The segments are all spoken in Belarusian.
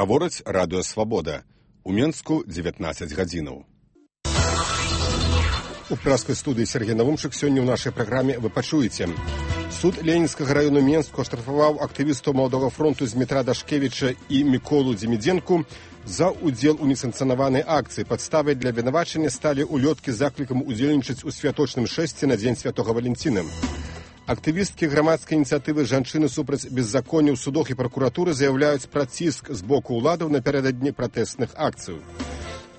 Гаворыць радыё «Свабода». У Менску 19 гадзінаў. У пражскай студыі Сергей Навумчык сёння ў нашай праграме вы пачуеце. Суд Ленінскага району Менску аштрафаваў актывістаў Маладога фронту Змітра Дашкевіча і Міколу Дзімідзенку за удзел у несанкцыянаванай акцыі. Падставай для абвінавачання сталі улёткі з заклікам удзельнічаць у святочным шэсці на дзень Святога Валентина. Актывісткі грамадскай ініцыятывы «Жанчыны супраць беззаконня» ў судах і пракуратуры заяўляюць пра ціск з боку ўладаў напярэдадні пратэстных акцый.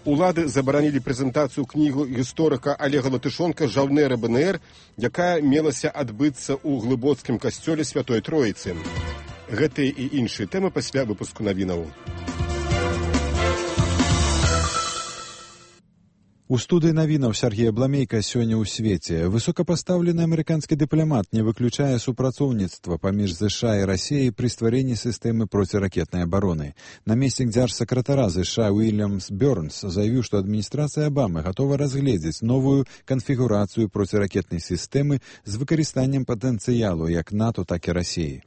Улады забаранілі прэзентацыю кнігу гісторыка Олега Латышонка «Жаўнеры БНР», якая мелася адбыцца ў глыбоцкім касцёле Святой Троіцы. Гэтыя і іншыя тэмы пасля выпуску навінаў. У студыі навінаў Сергея Бламейка сёння ў свеце. Высокапастаўлены амерыканскі дыпламат не выключае супрацоўніцтва паміж ЗША і Расіяй пры стварэнні сістэмы проціракетнай абароны. Намеснік дзяржсакратара ЗША Уильямс Бёрнс заявіў, што адміністрацыя Абамы гатова разгледзець новую канфігурацыю проціракетнай сістэмы з выкарыстаннем патэнцыялу як НАТО, так і Расіі.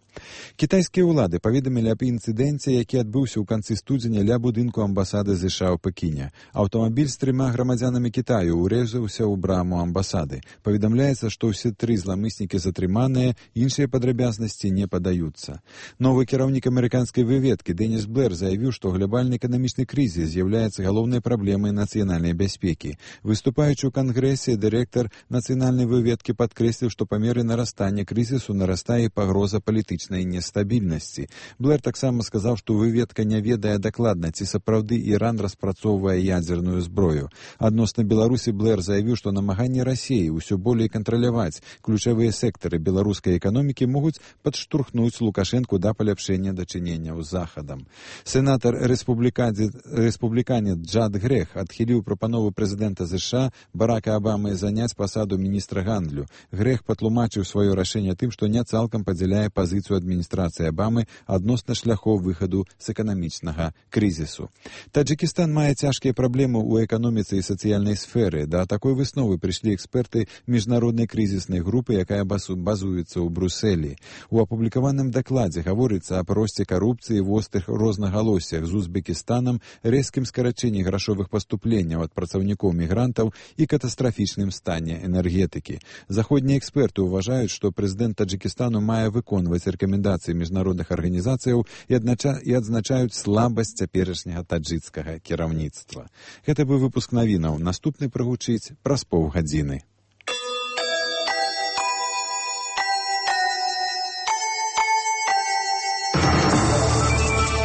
Кітайскія ўлады паведамілі аб інцыдэнце, які адбыўся ў канцы студзеня ля будынку амбасады ЗША ў Пекіне. Аўтамабіль з 3 грамадзянамі Кітаю урэзаўся ў браму амбасады. Паведамляецца, што ўсе 3 зламыснікі затрыманыя, іншыя падрабязнасці не падаюцца. Новы кіраўнік амерыканскай выведкі Дэніс Блэр заявіў, што глобальны эканамічны крызіс з'яўляецца галоўнай праблемай нацыянальнай бяспекі. Выступаючы ў кангрэсе, дырэктар нацыянальнай выведкі падкрэсліў, што па меры нарастання крызісу нарастае пагроза палітычнай нестабільнасці. Блэр таксама сказаў, што выведка не ведае дакладна, ці сапраўды Іран распрацоўвае ядзерную зброю. Адносна Беларусі Блэр заявіў, што намаганні Расіі ўсё болей кантраляваць ключавыя сектары беларускай эканомікі могуць падштурхнуць Лукашэнку да паляпшэння дачыненняў з Захадам. Сенатар рэспубліканец Джад Грех адхіліў прапанову прэзідэнта ЗША Барака Абамы заняць пасаду міністра гандлю. Грех патлумачыў сваё рашэнне тым, што не цалкам падзяляе пазіцыю адміністрацыі Абамы адносна шляхоў выхаду з эканамічнага крызісу. Таджикістан мае цяжкія праблемы ў эканоміцы і сацыяльнай сферы. Да такой высновы прыйшлі эксперты міжнароднай крызіснай групы, якая базуецца ў Брусэлі. У апублікаваным дакладзе гаворыцца аб росце карупцыі, вострых рознагалоссях з Узбекістанам, рэзкім скарачэнні грашовых паступленняў ад працаўнікоў мігрантаў і катастрафічным стане энергетыкі. Заходнія эксперты ўважаюць, што прэзідэнт Таджикістану мае выконваць рэкамендацыі міжнародных арганізацыяў і адзначаюць слабасць цяперашняга таджыцкага кіраўніцтва. Гэта быў выпуск навінаў. Наступны прагучыць праз паўгадзіны.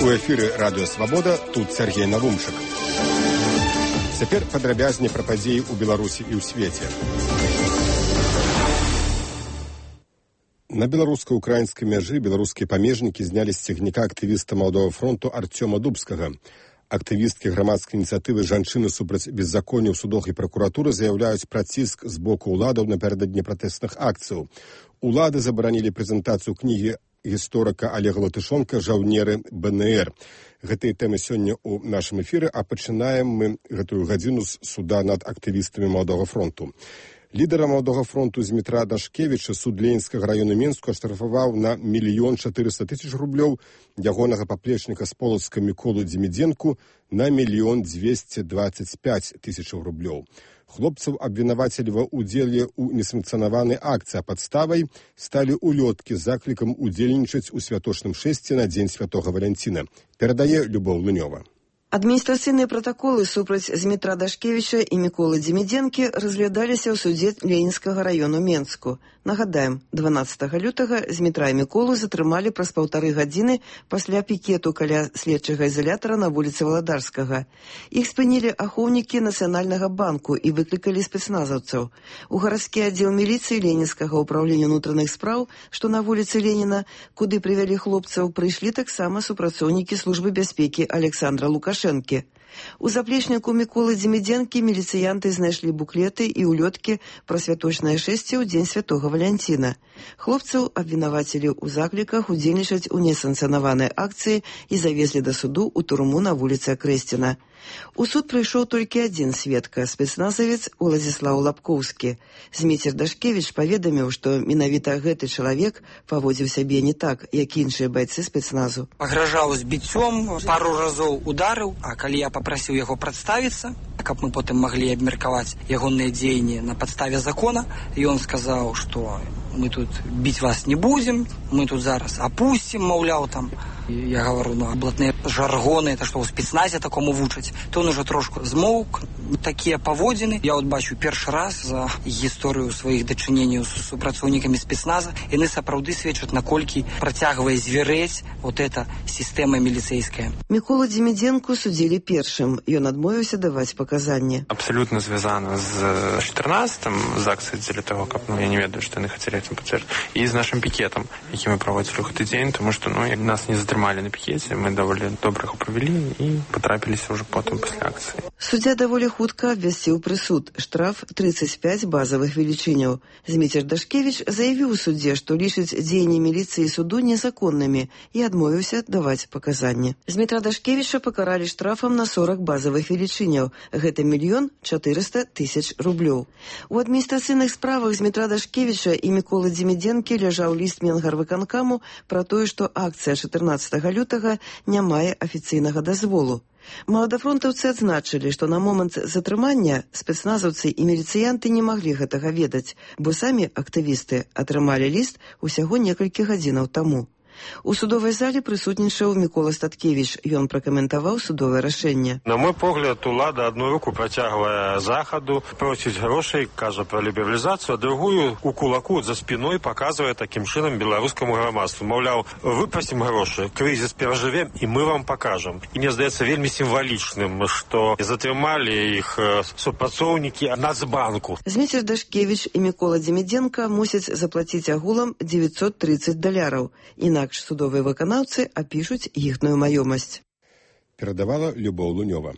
У эфіры радыё «Свабода», тут Сергей Навумчык. Цяпер падрабязней пра падзеі ў Беларусі і ў свеце. На беларуска-украінскай мяжы беларускія памежнікі знялі з цягніка актывіста Маладога фронту Арцёма Дубскага. Актывісткі грамадскай ініцыятывы «Жанчыны супраць беззаконня» ў судах і пракуратуры заяўляюць пра ціск з боку ўладаў напярэдадні пратэстных акцыяў. Улады забаранілі прэзентацыю кнігі гісторыка Олега Латышонка «Жаўнеры БНР». Гэтыя тэмы сёння ў нашым эфіры, а пачынаем мы гэтую гадзіну з суда над актывістамі Маладога фронту. Лідара Маладога фронту Змітра Дашкевіча суд Ленінскага району Менску аштрафаваў на 1 400 000 рублёў, ягонага паплечніка з Полацка Міколу Дзімідзенку на 1 225 000 рублёў. Хлопцаў абвінавацілі ва ўдзеле ў несанкцыянаванай акцыі, а падставай сталі улёткі з заклікам удзельнічаць у святочным шэсці на дзень Святога Валентина. Перадае Любоў Лунёва. Адміністрацыйныя пратаколы супраць Змітра Дашкевіча і Міколы Дзімідзенкі разглядаліся ў судзе Ленінскага району Менску. Нагадаем, 12 лютага Змітра і Міколу затрымалі праз 1,5 гадзіны пасля пікету каля следчага ізалятара на вуліцы Валадарскага. Іх спынілі ахоўнікі Нацыянальнага банку і выклікалі спецназаўцаў. У гарадскі аддзел міліцыі Ленінскага ўпраўлення ўнутраных спраў, што на вуліцы Леніна, куды прывялі хлопцаў, прыйшлі таксама супрацоўнікі службы бяспекі Александра Лукашэнкі. У заплечніку Міколы Дзімідзенкі міліцыянты знайшлі буклеты і улёткі пра святочнае шэсце ў дзень святога Валянціна. Хлопцаў абвінавацілі ў закліках удзельнічаць у несанкцыянаванай акцыі і завезлі да суду ў турму на вуліцы Акрэсціна. У суд прыйшоў толькі адзін сведка, спецназавец Уладзіслаў Лапкоўскі. Зміцер Дашкевіч паведаміў, што менавіта гэты чалавек паводзіў сябе не так, як іншыя байцы спецназу. Пагражаў збіццём, пару разоў ударыў, а калі я папрасіў яго прадставіцца, каб мы потым маглі абмеркаваць ягоныя дзеянні на падставе закона, ён сказаў, што мы тут біць вас не будзем, мы тут зараз апусцім, маўляў, там. Я говорю, блатныя жаргоны, это што ў спецназе такому вучаць. То он уже трошку змоўк, такія паводзіны. Я от бачу першы раз за гісторыю сваіх дачыненняў з супрацоўнікамі спецназа. Яны сапраўды сведчаць, наколькі працягвае зверэць вот эта сістэма міліцэйская. Міколу Дзімідзенку судзілі першым. Ён адмовіўся даваць паказанні. Абсолютно звязана з 14-м, з акцыяй дзеля того, каб я не ведаю, што яны хацелі этим пацвердзіць, і з нашым пікетам, які мы праводзілі ў гэты дзень, тому што нас не затрымалі на пікеце, мы даволі добра іх правялі і патрапіліся ўжо потым пасля акцыі. Суддзя даволі хутка абвясціў прысуд, штраф 35 базавых велічыняў. Зміцер Дашкевіч заявіў у суддзе, што лічыць дзеянні міліцыі і суду незаконнымі і адмовіўся даваць паказанні. Змітра Дашкевіча пакаралі штрафам на 40 базавых велічыняў. Гэта 1 400 000 рублёў. У адміністрацыйных справах Змітра Дашкевіча і Міколы Дзімідзенкі ляжаў ліст Менгарвыканкаму пра тое, што акцыя 14 лютага не мае афіцыйнага дазволу. Маладафронтаўцы адзначылі, што на момант затрымання спецназаўцы і міліцыянты не маглі гэтага ведаць, бо самі актывісты атрымалі ліст усяго некалькі гадзінаў таму. У судовай зале прысутнічаў Мікола Статкевіч. Ён пракаментаваў судовае рашэнне. На мой погляд, улада одну руку працягвае захаду, просіць грошай, кажа пра лібералізацыю, а другую у кулаку за спіной паказвае такім чынам беларускаму грамадству. Маўляў, выпрасім грошы, крызіс перажывем і мы вам пакажам. І мне здаецца вельмі сімвалічным, што затрымалі іх супрацоўнікі Нацбанку. Зміцер Дашкевіч і Мікола Дзімідзенка мусяць заплаціць агулам $930. Інакш судовыя выканаўцы апішуць іхную маёмасць. Перадавала Любоў Лунёва.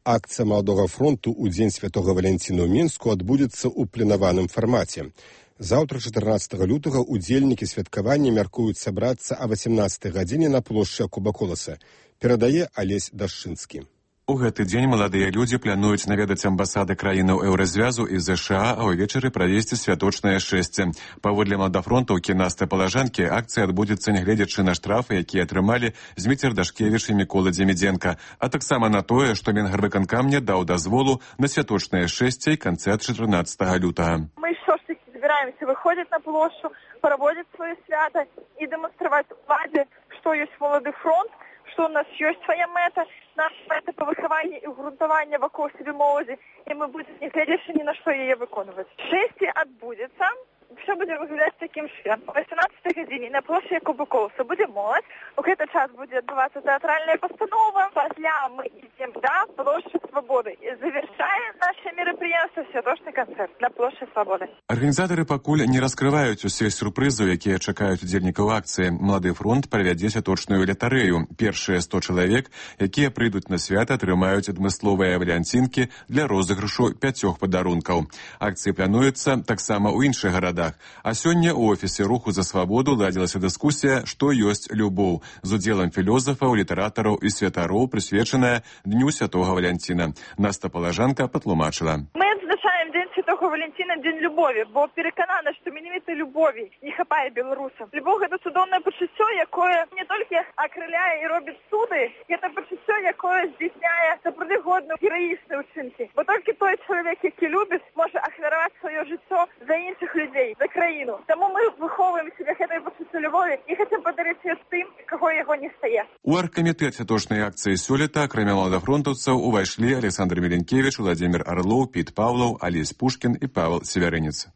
Акцыя Маладога фронту ў дзень святога Валянціна ў Мінску адбудзецца ў пленаваным фармаце. Заўтра, 14 лютага, удзельнікі святкавання мяркуюць сабрацца а 18 гадзіне на плошчы Куба-Коласа. Перадае Алесь Дашчынскі. У гэты дзень маладыя людзі плануюць наведаць амбасады краінаў Еўразвязу і ЗША, а ўвечары правесці святочнае шэсце. Паводле маладафронтаўкі Насты Палажанкі, акцыя адбудзецца нягледзячы на штрафы, якія атрымалі Зміцер Дашкевіч і Мікола Дзімідзенка, а таксама на тое, што Менгарвыканкам не даў дазволу на святочнае шэсце і канцэрт 14 лютага. Мы ўсё ж таки збіраемся выходзіць на плошчу, праводзіць сваё свята і дэманстраваць уладзе, што ёсць малады фронт, што у нас ёсць свая мэта, наша мэта па выхаванні і ўгрунтавання вакол сябе моладзі, і мы будзем, не гледзячы ні на што яе выконваць. Шэсце адбудзецца, все будзе выглядаць такім чынам. О 18 гадзіне на плошчы Куба-Коласа будзе моладзь, у гэты час будзе адбывацца тэатральная пастанова, пасля мы ідзем да плошчы Свабоды і завяршае наше мерапрыемства святочны канцэрт на плошчы Свабоды. Арганізатары пакуль не раскрываюць усе сюрпрызы, якія чакаюць удзельнікаў акцыі. Малады фронт правядзе святочную лятарэю. Першыя 100 чалавек, якія прыйдуць на свята, атрымаюць адмысловыя валянцінкі для розыгрышу 5 падарункаў. Акцыі плануецца таксама ў іншых гарадах. А сёння ў офісе Руху за свабоду ладзілася дыскусія «Што ёсць любоў» з удзелам філёзафаў, літаратараў і святароў, прысвечаная Дню святога Валянціна. Наста Палажанка патлумачыла. Мы адзначаем Дзень святога Валянціна, дзень любові, бо пераканана, што менавіта любові не хапае беларусам. Любоў – гэта цудоўнае пачуццё, якое не толькі акрыляе і робіць цуды, гэта пачуццё, якое здзейсняе сапраўды годныя гераічныя ўчынкі. Бо толькі той чалавек, які любіць, можа ахвяраваць сваё жыццё за іншых людзей, за краіну. Таму мы выхоўваем сябе гэтай пачуццё любові і хацім падарыць яе тым, каго яго не стае. У аргкамітэт святочнай акцыі сёлета, акрамя маладафронтаўцаў, увайшлі Александр Міленкевіч, Владзімір Арлоў, Піт Паўлаў, Алесь Пушкін і Павел Севярынец.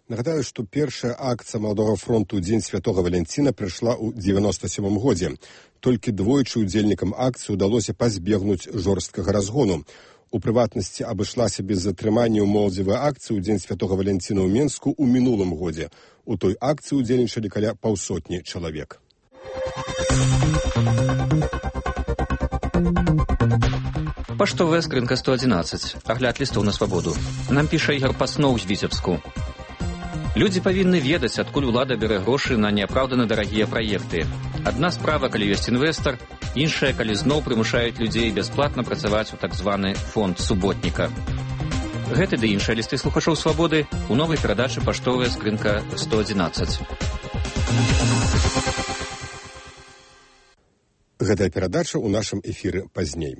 Нагадаю, што першая акцыя Маладога фронту ў дзень святога Валянціна прыйшла ў 97 годзе. Толькі двойчы удзельнікам акцыі ўдалося пазбегнуць жорсткага разгону. У прыватнасці абышлася без затрымання ў моладзевай акцыі ў дзень святога Валянціна ў Менску ў мінулым годзе. У той акцыі удзельнічалі каля 500 чалавек. Паштовая скрынка 111. Агляд лістоў на свабоду. Нам піша Ігор Пасноў з Віцебску. Людзі павінны ведаць, адкуль улада бярэ грошы на неапраўдана дарагія праекты. Адна справа, калі ёсць інвестар, іншая, калі зноў прымушаюць людзей бясплатна працаваць у так званы фонд суботніка. Гэты ды іншыя лісты слухачоў свабоды у новай перадачы «Паштовая скрынка 111». Гэтая перадача ў нашым эфіры пазней.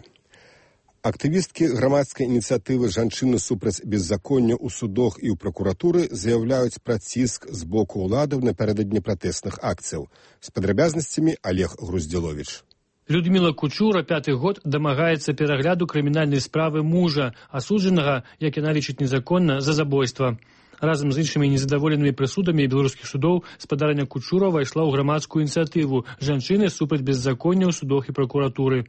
Актывісткі грамадскай ініцыятывы «Жанчыны супраць беззаконня» ў судах і ў пракуратуры заяўляюць пра ціск з боку ўладаў напярэдадні пратэсных акцыяў. З падрабязнасцямі Олег Груздзіловіч. Людмила Кучура 5-й год дамагаецца перагляду крымінальнай справы мужа, асуджанага, як яна лічыць незаконна, за забойства. Разам з іншымі незадаволенымі прысудамі беларускіх судоў спадарня Кучура ўвайшла ў грамадскую ініцыятыву «Жанчыны супраць беззаконня» ў судах і пракуратуры.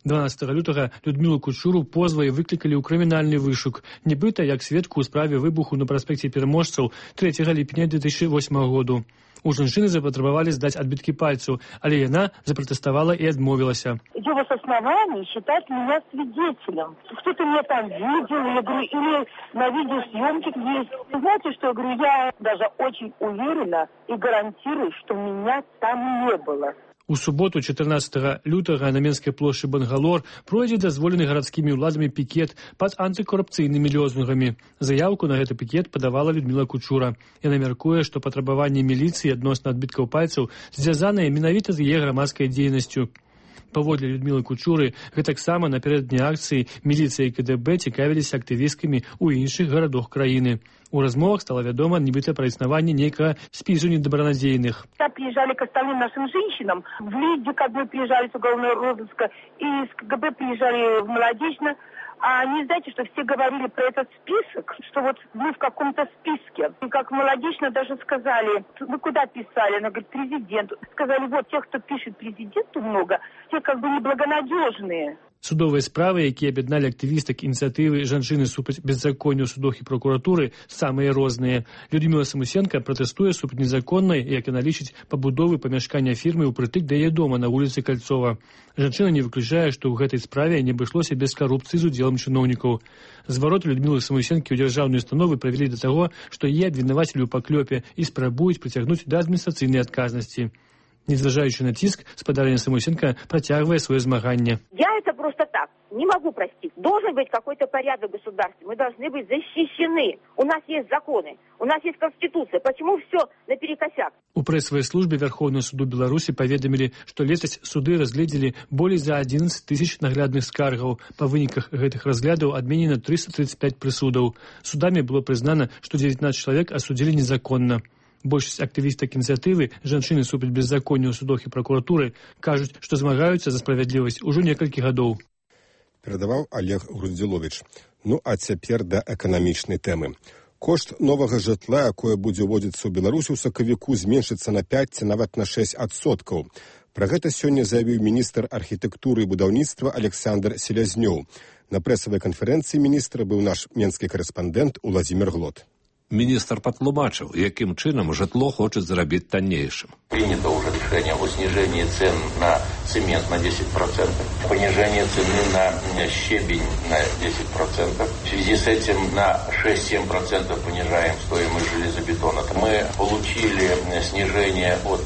12 лютага Людмилу Кучуру позвай выклікалі ў крымінальны вышук, нібыта як сведку ў справе выбуху на праспекце Пераможцаў 3 ліпеня 2008 году. У жанчыны запатрабавалі здаць адбіткі пальцаў, але яна запратэставала і адмовілася. Я вас оснований считать меня свидетелем. Кто-то меня там видел, я говорю, или на видеосъемке есть. Знаете, что я говорю, я даже очень уверена и гарантирую, что меня там не было. У суботу, 14 лютага, на Менскай плошчы Бангалор пройдзе дазволены гарадскімі ўладамі пікет пад антыкорупцыйнымі лозунгамі. Заяўку на гэты пікет падавала Людмила Кучура. Яна мяркуе, што патрабаванні міліцыі адносна адбіткаў пальцаў звязаныя менавіта з яе грамадскай дзейнасцю. Паводле Людмилы Кучуры, гэтаксама напярэдадні акцыі міліцыя і КДБ цікавіліся актывісткамі ў іншых гарадах краіны. У размовах стало вядома нібыта пра існаванне нейкага спісу недобронадзейных. Приезжали к остальным нашим женщинам, в ЛИДе КБ приезжали с уголовного розыска, и с КГБ приезжали в Молодечно. А не знаете, что все говорили про этот список, что вот вы в каком-то списке. И как Молодечно даже сказали, вы куда писали? Она говорит, президенту. Сказали, вот тех, кто пишет президенту много, те как бы неблагонадежные. Судовыя справы, якія аб'ядналі актывістак ініцыятывы «Жанчыны супраць беззаконня» ў судах і пракуратуры, самыя розныя. Людмила Самусенко пратэстуе супраць незаконнай, як яна лічыць, пабудовы памяшкання фірмы ўпрытык да яе дома на вуліцы Кальцова. Жанчына не выключае, што ў гэтай справе не абышлося без карупцыі з удзелам чыноўнікаў. Звароты Людмилы Самусенкі ў дзяржаўныя установы правялі да таго, што яе абвінавацілі ў паклёпе і спрабуюць прыцягнуць да адміністрацыйнай адказнасці. Незважаючы на ціск, спадарня Самусенко працягвае свое змаганне. Я это просто так не могу простить. Должен быть какой-то порядок в государстве. Мы должны быть защищены. У нас есть законы, у нас есть Конституция. Почему все наперекосяк? У прэсавай службе Верховного суду Беларусі паведамілі, што летась суды разгледзелі болей за 11 тысяч наглядных скаргаў. Па выніках гэтых разглядаў адменена 335 прысудаў. Судамі было прызнана, што 19 чалавек асудзілі незаконна. Большасць актывістак ініцыятывы «Жанчыны супраць беззаконня» ў судах і пракуратуры кажуць, што змагаюцца за справядлівасць ужо некалькі гадоў. Перадаваў Олег Груздзіловіч. Ну а цяпер да эканамічнай тэмы. Кошт новага жытла, якое будзе ўводзіцца ў Беларусі ў сакавіку, зменшыцца на 5 ці нават на 6%. Пра гэта сёння заявіў міністр архітэктуры і будаўніцтва Александр Селязнёў. На прэсавай канферэнцыі міністра быў наш менскі карэспандэнт Уладзімір Глот. Міністр патлумачыў, якім чынам жытло хочуць зрабіць таннейшым. Принято уже решение о снижении цен на цемент на 10%, понижение цены на щебень на 10%. В связи с этим на 6-7% понижаем стоимость железобетона. Мы получили снижение от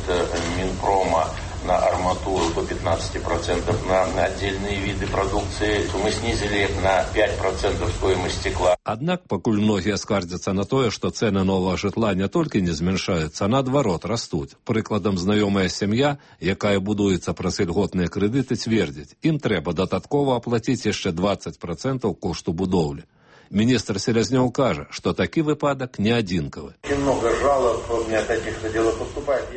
Минпрома на арматуру до 15%, на отдельные виды продукции. Мы снизили на 5% стоимость стекла. Аднак, пакуль многія скардзяцца на тое, што цэны новага жытла не толькі не змяншаюцца, а наадварот растуць. Прыкладам, знаёмая сям'я, якая будуецца праз ільготныя крэдыты, цвердзіць, ім трэба дадатково аплаціць яшчэ 20% кошту будоўлі. Міністр Селязнёў кажа, што такі выпадак не адзінкавы.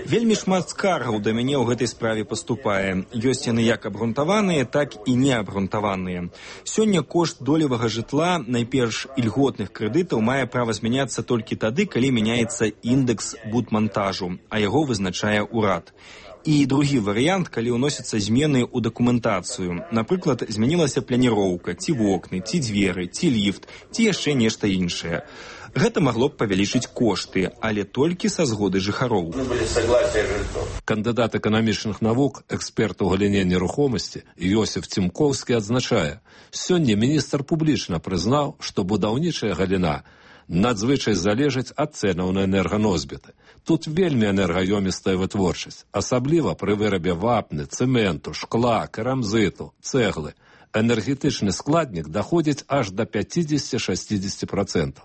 Вельмі шмат скаргаў да мяне ў гэтай справе паступае. Ёсць яны як абгрунтаваныя, так і неабгрунтаваныя. Сёння кошт долевага жытла, найперш ільготных крэдытаў, мае права змяняцца толькі тады, калі мяняецца індэкс будмантажу, а яго вызначае ўрад. І другі варыянт, калі ўносяцца змены ў дакументацыю. Напрыклад, змянілася пляніроўка, ці вокны, ці дзверы, ці ліфт, ці яшчэ нешта іншае. Гэта магло б павялічыць кошты, але толькі са згоды жыхароў. Кандыдат эканамічных навук, эксперт у галіне нерухомасці Йосиф Цімкоўскі адзначае, сёння міністр публічна прызнаў, што будаўнічая галіна надзвычай залежыць ад цэнаў на энерганосьбіты. Тут вельмі энергаёмістая вытворчасць, асабліва пры вырабе вапны, цэменту, шкла, керамзіту, цэглы. Энергетычны складнік даходзіць аж до 50-60%.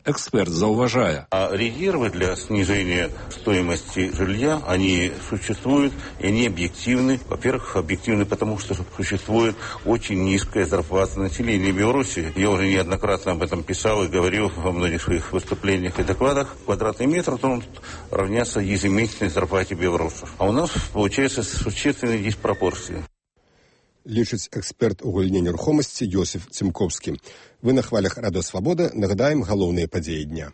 Эксперт зауважая. Резервы для снижения стоимости жилья, они существуют, и они объективны. Во-первых, объективны потому, что существует очень низкая зарплата населения Беларуси. Я уже неоднократно об этом писал и говорил во многих своих выступлениях и докладах. Квадратный метр должен равняться ежемесячной зарплате белорусов. А у нас получается существенные диспропорции. Лічыць эксперт у галіне нерухомасці Йосиф Цімкоўскі. Вы на хвалях Радыё Свабода нагадаем галоўныя падзеі дня.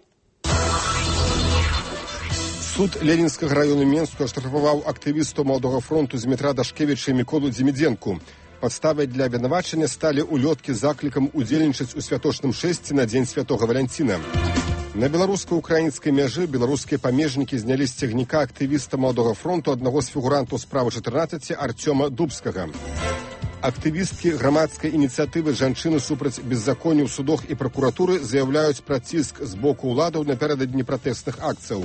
Суд Ленінскага раёну Менску аштрафаваў актывісту Маладога фронту Змітра Дашкевіча і Міколу Дзімідзенку. Падставай для абвінавачання сталі улёткі з заклікам удзельнічаць у святочным шэсці на дзень святога Валянціна. На беларуска-украінскай мяжы беларускія памежнікі знялі з цягніка актывіста Маладога фронту аднаго з фігурантаў справы 14 Арцёма Дубскага. Актывісткі грамадскай ініцыятывы «Жанчыны супраць беззаконня ў судах і пракуратуры» заяўляюць пра ціск з боку ўладаў напярэдадні пратэсных акцыяў.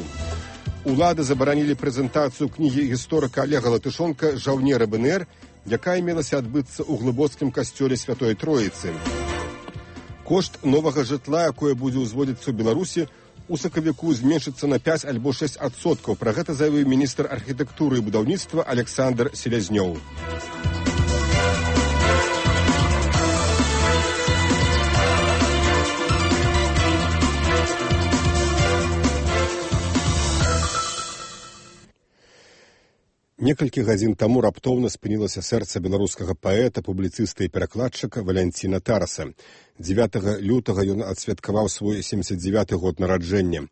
Улады забаранілі прэзентацыю кнігі гісторыка Олега Латышонка «Жаўнеры БНР», якая мелася адбыцца ў глыбоцкім касцёле Святой Троіцы. Кошт новага жытла, якое будзе ўзводзіцца ў Беларусі, у сакавіку зменшыцца на 5 альбо 6%. Пра гэта заявіў міністр архітэктуры і будаўніцтва Александр Селязнёў. Некалькі гадзін таму раптоўна спынілася сэрца беларускага паэта, публіцыста і перакладчыка Валянціна Тараса. 9 лютага ён адсвяткаваў свой 79-й год нараджэння.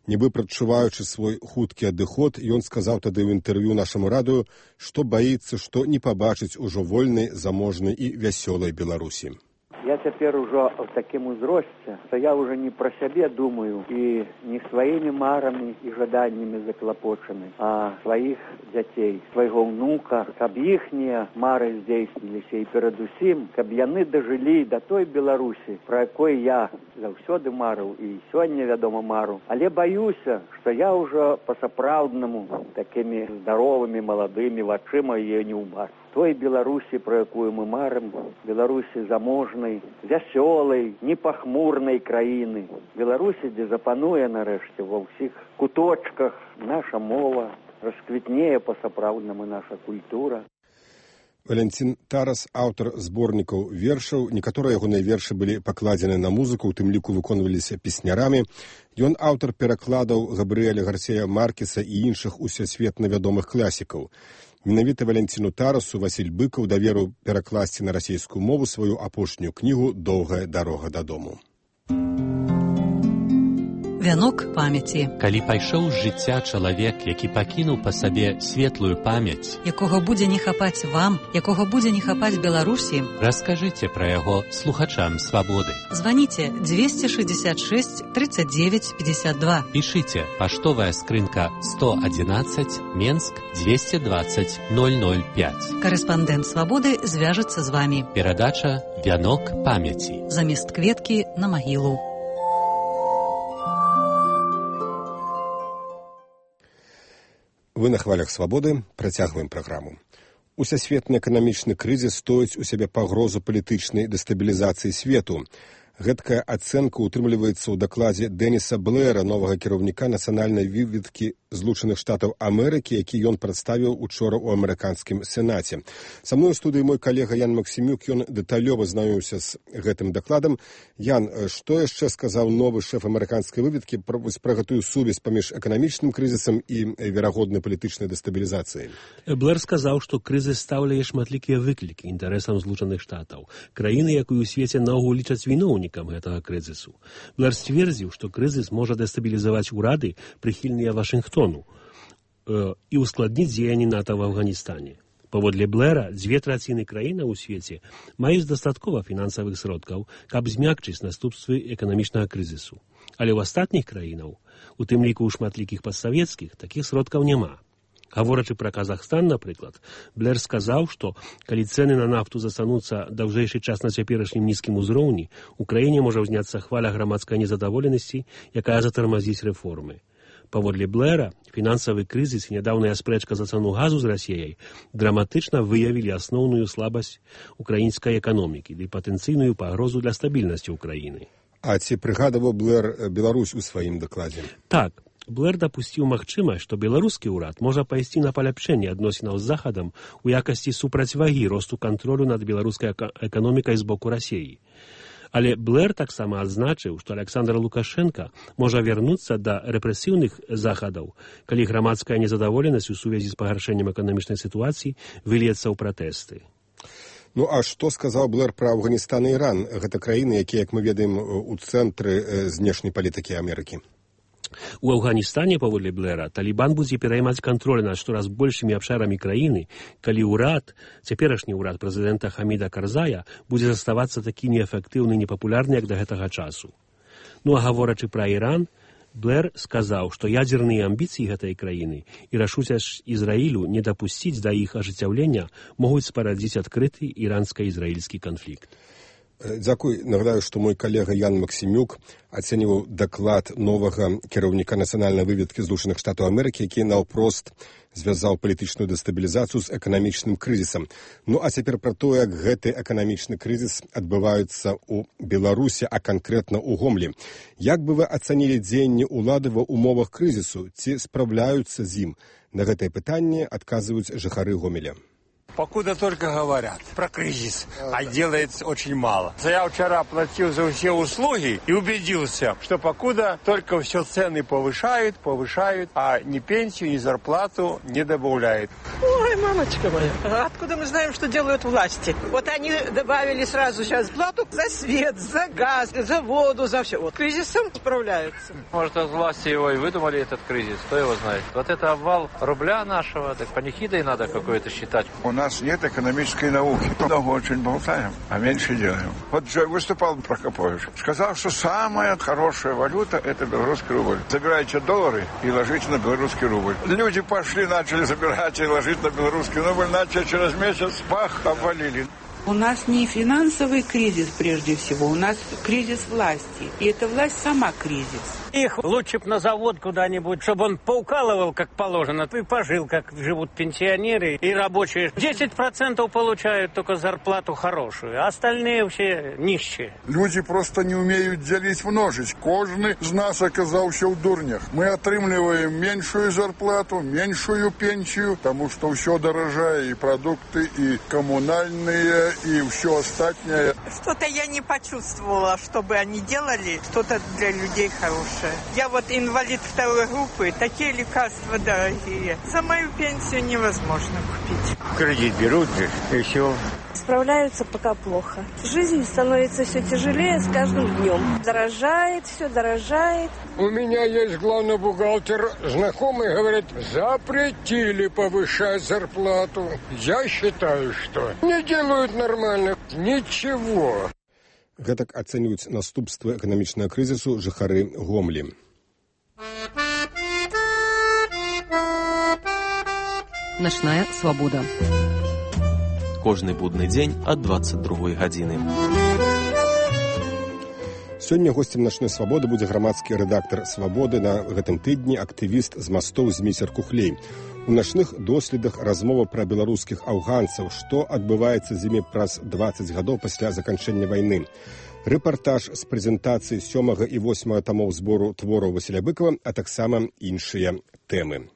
Нібы прадчуваючы свой хуткі адыход, ён сказаў тады ў інтэрв'ю нашаму радыё, што баіцца, што не пабачыць ужо вольнай, заможнай і вясёлай Беларусі. Я цяпер ужо в такім узросце, што я уже не пра сябе думаю і не сваімі марамі і жаданнямі заклапочаны, а сваіх дзяцей, свайго ўнука, каб іхнія мары здзейсніліся і перадусім, каб яны дажылі да той Беларусі, пра якой я заўсёды марыў і сёння, вядома, мару. Але баюся, што я ўжо па-сапраўднаму такімі здаровымі, маладымі вачыма яе не ўбачу. Той Беларусі, про якую мы марым, Беларусі заможнай, вясёлай, непахмурнай краіны. Беларусі, дзе запануе нарэшце ва ўсіх куточках наша мова, расквітнее па-сапраўднаму наша культура. Валянцін Тарас, аўтар зборнікаў вершаў. Некаторыя ягоныя вершы былі пакладзены на музыку, у тым ліку выконваліся песнярамі. Ён аўтар перакладаў Габрыэля Гарсія Маркеса і іншых усесветна вядомых класікаў. Менавіта Валянціну Тарасу Васіль Быкаў даверыў перакласці на расійскую мову сваю апошнюю кнігу «Доўгая дарога дадому». Вянок памяці. Калі пайшоў з жыцця чалавек, які пакінуў па сабе светлую памяць, якога будзе не хапаць вам, якога будзе не хапаць Беларусі, раскажыце пра яго слухачам Свабоды. Званіце 266 39 52. Пішыце паштовая скрынка 111 Менск 220 005. Карэспандэнт Свабоды звяжацца з вамі. Перадача «Вянок памяці». Замест кветкі на магілу. Вы на хвалях Свабоды, працягваем праграму. Усесветны эканамічны крызіс стоіць у сябе пагрозу палітычнай дэстабілізацыі свету. Гэткая ацэнка ўтрымліваецца ў дакладзе Дэніса Блэра, новага кіраўніка нацыянальнай выведкі Злучаных Штатаў Амерыкі, які ён прадставіў учора ў амерыканскім сенаце. Са мной у студыі мой калега Ян Максімюк, ён дэталёва знаёміўся з гэтым дакладам. Ян, што яшчэ сказаў новы шэф амерыканскай выведкі пра гэтую сувязь паміж эканамічным крызісам і верагоднай палітычнай дэстабілізацыяй? Блэр сказаў, што крызіс стаўляе шматлікія выклікі інтарэсам Злучаных Штатаў, краіны, якую ў свеце наогул лічаць віноўнікам гэтага крызісу. Блэр сцвердзіў, што крызіс можа дэстабілізаваць урады, прыхільныя Вашынгтону, і ускладніць дзеянні НАТО в Афганістане. Паводле Блэра, 2/3 краіны ў свеце маюць дастаткова фінансавых сродкаў, каб змякчыць наступствы эканамічнага крызісу. Але ў астатніх краінаў, у тым ліку ў шматлікіх падсавецкіх, такіх сродкаў няма. Гаворачы пра Казахстан, напрыклад, Блэр сказаў, што калі цэны на нафту застануцца даўжэйшы час на цяперашнім нізкім узроўні, у краіне можа ўзняцца хваля грамадскай незадаволенасці, якая затармазіць рэформы. Паводле Блэра, фінансавы крызіс і нядаўная спрэчка за цану газу з Расіяй драматычна выявілі асноўную слабасць украінскай эканомікі ды патэнцыйную пагрозу для стабільнасці ўкраіны. А ці прыгадаваў Блэр Беларусь у сваім дакладзе? Так. Блэр дапусціў магчымасць, што беларускі ўрад можа пайсці на паляпшэнне адносінаў з Захадам у якасці супрацьвагі росту кантролю над беларускай эканомікай з боку Расіі. Але Блэр таксама адзначыў, што Александр Лукашенко можа вярнуцца да рэпрэсіўных захадаў, калі грамадская незадаволенасць у сувязі з пагаршэннем эканамічнай сітуацыі выльецца ў пратэсты. Ну, а што сказаў Блэр пра Афганістан і Іран? Гэта краіны, якія, як мы ведаем, у цэнтры знешняй палітыкі Амерыкі. У Афганістане, паводле Блэра, Талібан будзе пераймаць кантроль над штораз большымі абшарамі краіны, калі ўрад, цяперашні ўрад прэзідэнта Хаміда Карзая, будзе заставацца такі неэфектыўны і непапулярны, як да гэтага часу. Ну а гаворачы пра Іран, Блэр сказаў, што ядзерныя амбіцыі гэтай краіны і рашучасць Ізраілю не дапусціць да іх ажыццяўлення могуць спарадзіць адкрыты іранска-ізраільскі канфлікт. Дзякуй. Нагадаю, што мой калега Ян Максімюк ацэньваў даклад новага кіраўніка нацыянальнай выведкі Злучаных Штатаў Амерыкі, які наўпрост звязаў палітычную дэстабілізацыю з эканамічным крызісам. Ну, а цяпер пра тое, як гэты эканамічны крызіс адбываецца ў Беларусі, а канкрэтна ў Гомлі. Як бы вы ацанілі дзеянні ўлады ва ўмовах крызісу? Ці спраўляюцца з ім? На гэтае пытанне адказваюць жыхары Гомеля. Покуда только говорят про кризис, а делается очень мало. Я вчера оплатил за все услуги и убедился, что покуда только все цены повышают, а ни пенсию, ни зарплату не добавляют. Ой, мамочка моя, откуда мы знаем, что делают власти? Вот они добавили сразу сейчас плату за свет, за газ, за воду, за все. Вот кризисом справляются. Может, власти его и выдумали этот кризис, кто его знает. Вот это обвал рубля нашего, так панихидой надо какое-то считать. У нас нет экономической науки. Много очень болтаем, а меньше делаем. Вот выступал Прокопович. Сказал, что самая хорошая валюта – это белорусский рубль. Забирайте доллары и ложите на белорусский рубль. Люди пошли, начали забирать и ложить на белорусский рубль. Начали через месяц, бах, обвалили. У нас не финансовый кризис прежде всего, у нас кризис власти. И эта власть сама кризис. Их лучше б на завод куда-нибудь, чтобы он поукалывал, как положено, и пожил, как живут пенсионеры и рабочие. 10% получают только зарплату хорошую, а остальные все нищие. Люди просто не умеют делить множить. Кожный из нас оказался в дурнях. Мы отрымливаем меньшую зарплату, меньшую пенсию, потому что все дорожает, и продукты, и коммунальные, и все остальное. Что-то я не почувствовала, чтобы они делали что-то для людей хорошее. Я вот инвалид второй группы, такие лекарства дорогие. За мою пенсию невозможно купить. Кредит берут и все. Справляются пока плохо. Жизнь становится все тяжелее с каждым днем. Дорожает, все дорожает. У меня есть главный бухгалтер, знакомый, говорит, запретили повышать зарплату. Я считаю, что не делают нормально. Ничего. Гэтак ацэньваюць наступствы эканамічнага крызісу жыхары Гомлі. Начная свабода. Кожны будны дзень ад 22 гадзіны. Сёння госцем начной свабоды будзе грамадскі рэдактар свабоды на гэтым тыдні, актывіст з мастоў Зміцер Кухлей. У начных доследах размова пра беларускіх афганцаў, што адбываецца з імі праз 20 гадоў пасля заканчэння вайны. Рэпартаж з прэзентацыі 7 і 8 тамоў збору твораў Васіля Быкова, а таксама іншыя тэмы.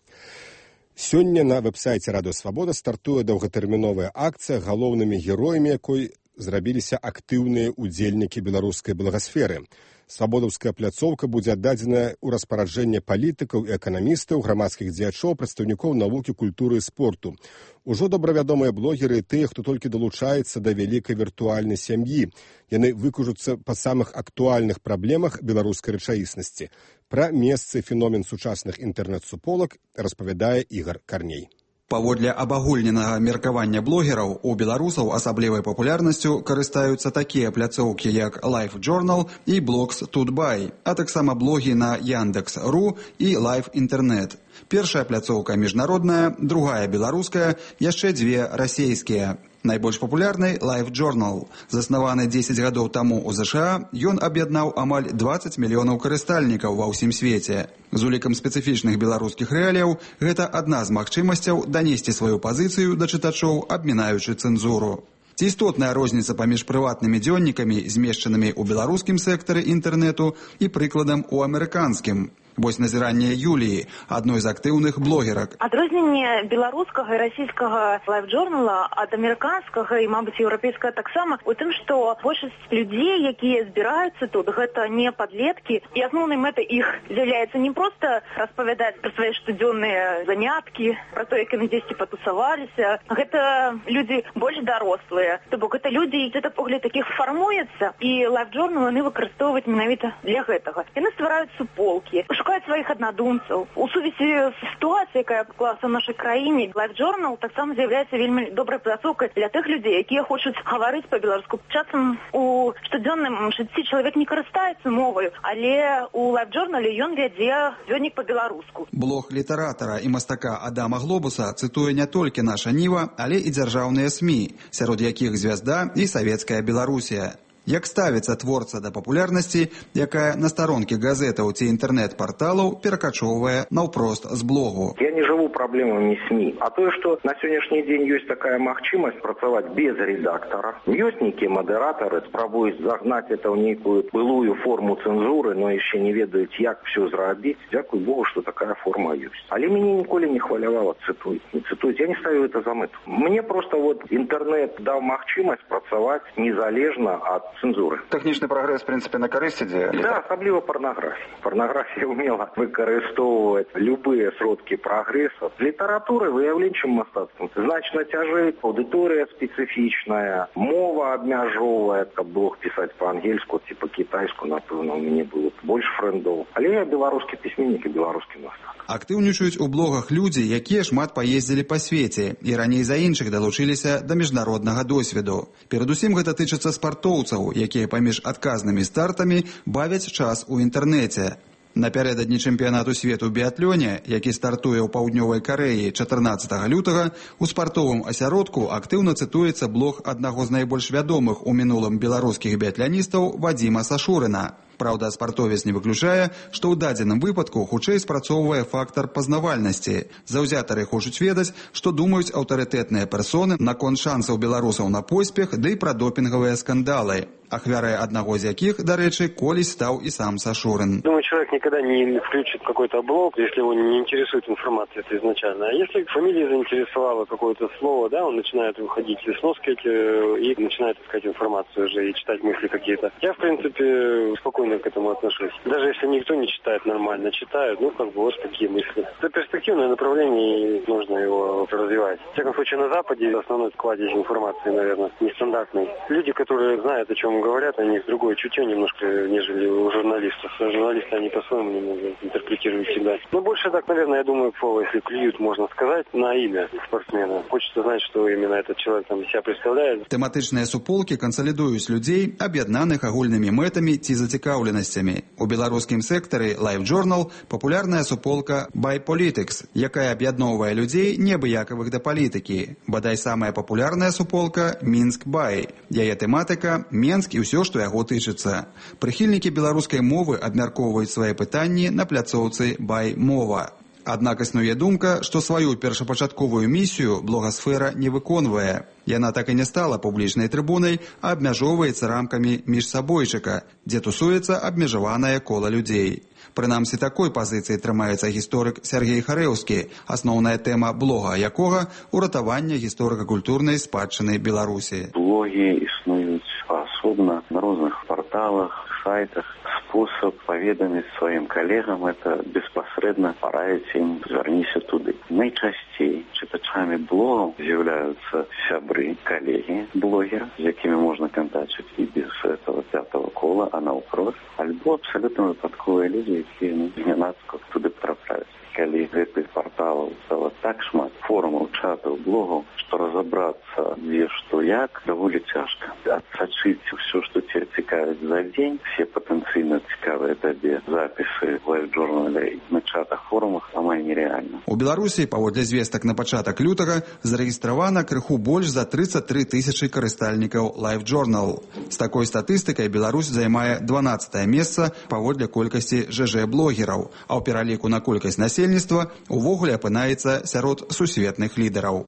Сёння на вэб-сайце Радыё Свабода стартуе доўгатэрміновая акцыя, галоўнымі героямі якой зрабіліся актыўныя удзельнікі беларускай благасферы. Свабодаўская пляцоўка будзе аддадзеная ў распараджэнне палітыкаў і эканамістаў, грамадскіх дзеячоў, прадстаўнікоў навукі, культуры і спорту. Ужо добравядомыя блогеры і тыя, хто толькі далучаецца да вялікай віртуальнай сям'і. Яны выкажуцца па самых актуальных праблемах беларускай рэчаіснасці. Пра месцы феномен сучасных інтэрнэт-суполак распавядае Ігар Карней. Паводле абагульненага меркавання блогераў, у беларусаў асаблівай папулярнасцю карыстаюцца такія пляцоўкі, як LiveJournal і Blogs.by, а таксама блогі на Яндекс.ру і Live Internet. Першая пляцоўка міжнародная, другая беларуская, яшчэ дзве расейскія. Найбольш папулярнай LiveJournal. Заснаваны 10 гадоў таму ў ЗША, ён аб'яднаў амаль 20 мільёнаў карыстальнікаў ва ўсім свеце. З улікам спецыфічных беларускіх рэаліяў, гэта адна з магчымасцяў данесці сваю пазіцыю да чытачоў, абмінаючы цэнзуру. Ці істотная розніца паміж прыватнымі дзённікамі, змешчанымі ў беларускім сектары інтэрнэту, і прыкладам у амерыканскім? Вось назіранне Юліі, адной з актыўных блогерак. Адрозненне беларускага і расійскага лайф-журнала ад амерыканскага і, мабыць, еўрапейскага таксама у тым, што большасць людзей, якія збіраюцца тут, гэта не падлеткі, і асноўнай мэтай іх з'яўляецца не проста распавядаць пра свае штодзённыя заняткі, пра то, як яны дзесьці патусаваліся. Гэта людзі больш дарослыя. То бок гэта людзі, святапогляд такіх фармуецца, і лайф-журнал яны выкарыстоўваюць менавіта для гэтага. Яны ствараюць суполкі, шукаюць сваіх аднадумцаў. У сувязі з сітуацыяй, якая склалася ў нашай краіне, LiveJournal таксама з'яўляецца вельмі добрай пляцоўкай для тых людзей, якія хочуць гаварыць па-беларуску. Часам у штодзённым жыцці чалавек не карыстаецца моваю, але у LiveJournal ён вядзе дзённік па-беларуску. Блог літаратара і мастака Адама Глобуса цытуе не толькі наша Ніва, але і дзяржаўныя СМІ, сярод якіх «Звязда» і «Савецкая Беларусія». Як ставіцца творца да папулярнасці, якая на старонкі газетаў ці інтэрнэт-парталаў перакачоўвае наўпрост з блогу. Я не жыву праблемамі СМІ. А тое, што на сённяшні дзень ёсць такая магчымасць працаваць без рэдактара. Ёсць нейкія мадэратары, спрабуюць загнаць это ў нейкую былую форму цэнзуры, но яшчэ не ведаюць, як все зрабіць. Дзякуй Богу, што такая форма ёсць. Але мяне ніколі не хвалявала цытуюць. Не цытуюць. Я не ставлю это за мэту. Мне просто інтэрнэт даў магчымасць працаваць незалежна ад цензуры. Тэхнічны прагрэс, в прынцыпе, на карысць ідзе? Да, асабліва парнаграфія. Парнаграфія ўмела выкарыстоўваць любыя сродкі прагрэсу. Літаратуры выяўленчым мастацтвам значна цяжэй, аўдыторыя спецыфічная, мова абмяжоўвае, каб блог пісаць па-ангельску ці па-кітайску, напэўна, у мяне было больш фрэндоў. Але я беларускі пісьменнік і беларускі мастак. Актыўнічаюць у блогах людзі, якія шмат паездзілі па свеце і раней за іншых далучыліся да міжнароднага досведу. Перадусім гэта тычыцца спартоўцаў, якія паміж адказнымі стартамі бавяць час у інтэрнэце. Напярэдадні чэмпіянату свету біятлёне, які стартуе ў паўднёвай Карэі 14 лютага, у спартовым асяродку актыўна цытуецца блог аднаго з найбольш вядомых у мінулым беларускіх біятляністаў Вадзіма Сашурына. Праўда, спартовец не выключае, што ў дадзеным выпадку хутчэй спрацоўвае фактар пазнавальнасці. Заўзятары хочуць ведаць, што думаюць аўтарытэтныя персоны наконт шансаў беларусаў на поспех, ды і пра допінгавыя скандалы. Ахвярай одного из яких, до речи, колись стал и сам Сашурин. Думаю, человек никогда не включит какой-то блог, если его не интересует информация это изначально. А если фамилия заинтересовала какое-то слово, да, он начинает выходить из сноски и начинает искать информацию уже и читать мысли какие-то. Я, в принципе, спокойно к этому отношусь. Даже если никто не читает нормально, читают, вот такие мысли. Это перспективное направление, и нужно его развивать. В всяком случае, на Западе основной складезь информации, наверное, нестандартный. Люди, которые знают, о чем говорят, у них другое чутье немножко, нежели у журналистов. Журналисты, они по-своему немного интерпретируют всегда. Но больше так, наверное, я думаю, если клюют, можно сказать, на имя спортсмена. Хочется знать, что именно этот человек там себя представляет. Тэматычныя суполкі кансалідуюць людзей, аб'яднаных агульнымі мэтамі ці зацікаўленасцямі. У беларускім сектары LiveJournal папулярная суполка By Politics, якая аб'ядноўвае людзей неабыякавых да палітыкі. Бадай самая папулярная суполка Мінск By. Яе тэматыка Менск і ўсё, што яго тычыцца. Прыхільнікі беларускай мовы абмяркоўваюць свае пытанні на пляцоўцы By Мова. Аднак існуе думка, што сваю першапачатковую місію блогасфера не выконвае. Яна так і не стала публічнай трыбунай, а абмяжоўваецца рамкамі міжсабойчыка, дзе тусуецца абмежаванае кола людзей. Прынамсі такой пазіцыі трымаецца гісторык Сергей Харэўскі, асноўная тэма блога якога – уратаванне гісторыка-культурнай спадчыны Беларусі. Блогі існуюць асобна на розных парталах, сайтах. Способ паведаміць сваім калегам – это беспасрэдна параіць ім звярніся туды. Найчасцей чытачамі блогаў з'яўляюцца сябры, калегі блогера, з якімі можна кантачыць і без этого пятого кола, а наўпрост, альбо абсалютна выпадковыя людзі, якія знянацку туды трапляюць. Калі гэтых парталаў стала так шмат, форумов, чатов, блогов, что разобраться, где, что, як, довольно тяжко. Отсочить все, что тебя цікавит за день, все потенциально цікавые тебе записи в лайв-журнале на чатах, форумах, амаль нереально. У Беларусі, паводле звестак на пачатак лютага, зарэгістравана крыху больш за 33 тысячы карыстальнікаў LiveJournal. З такой статыстыкай Беларусь займае 12е месца паводле колькасці ЖЖ-блогераў, а ў пераліку на колькасць насельніцтва увогуле апынаецца сярод сусветных лідараў.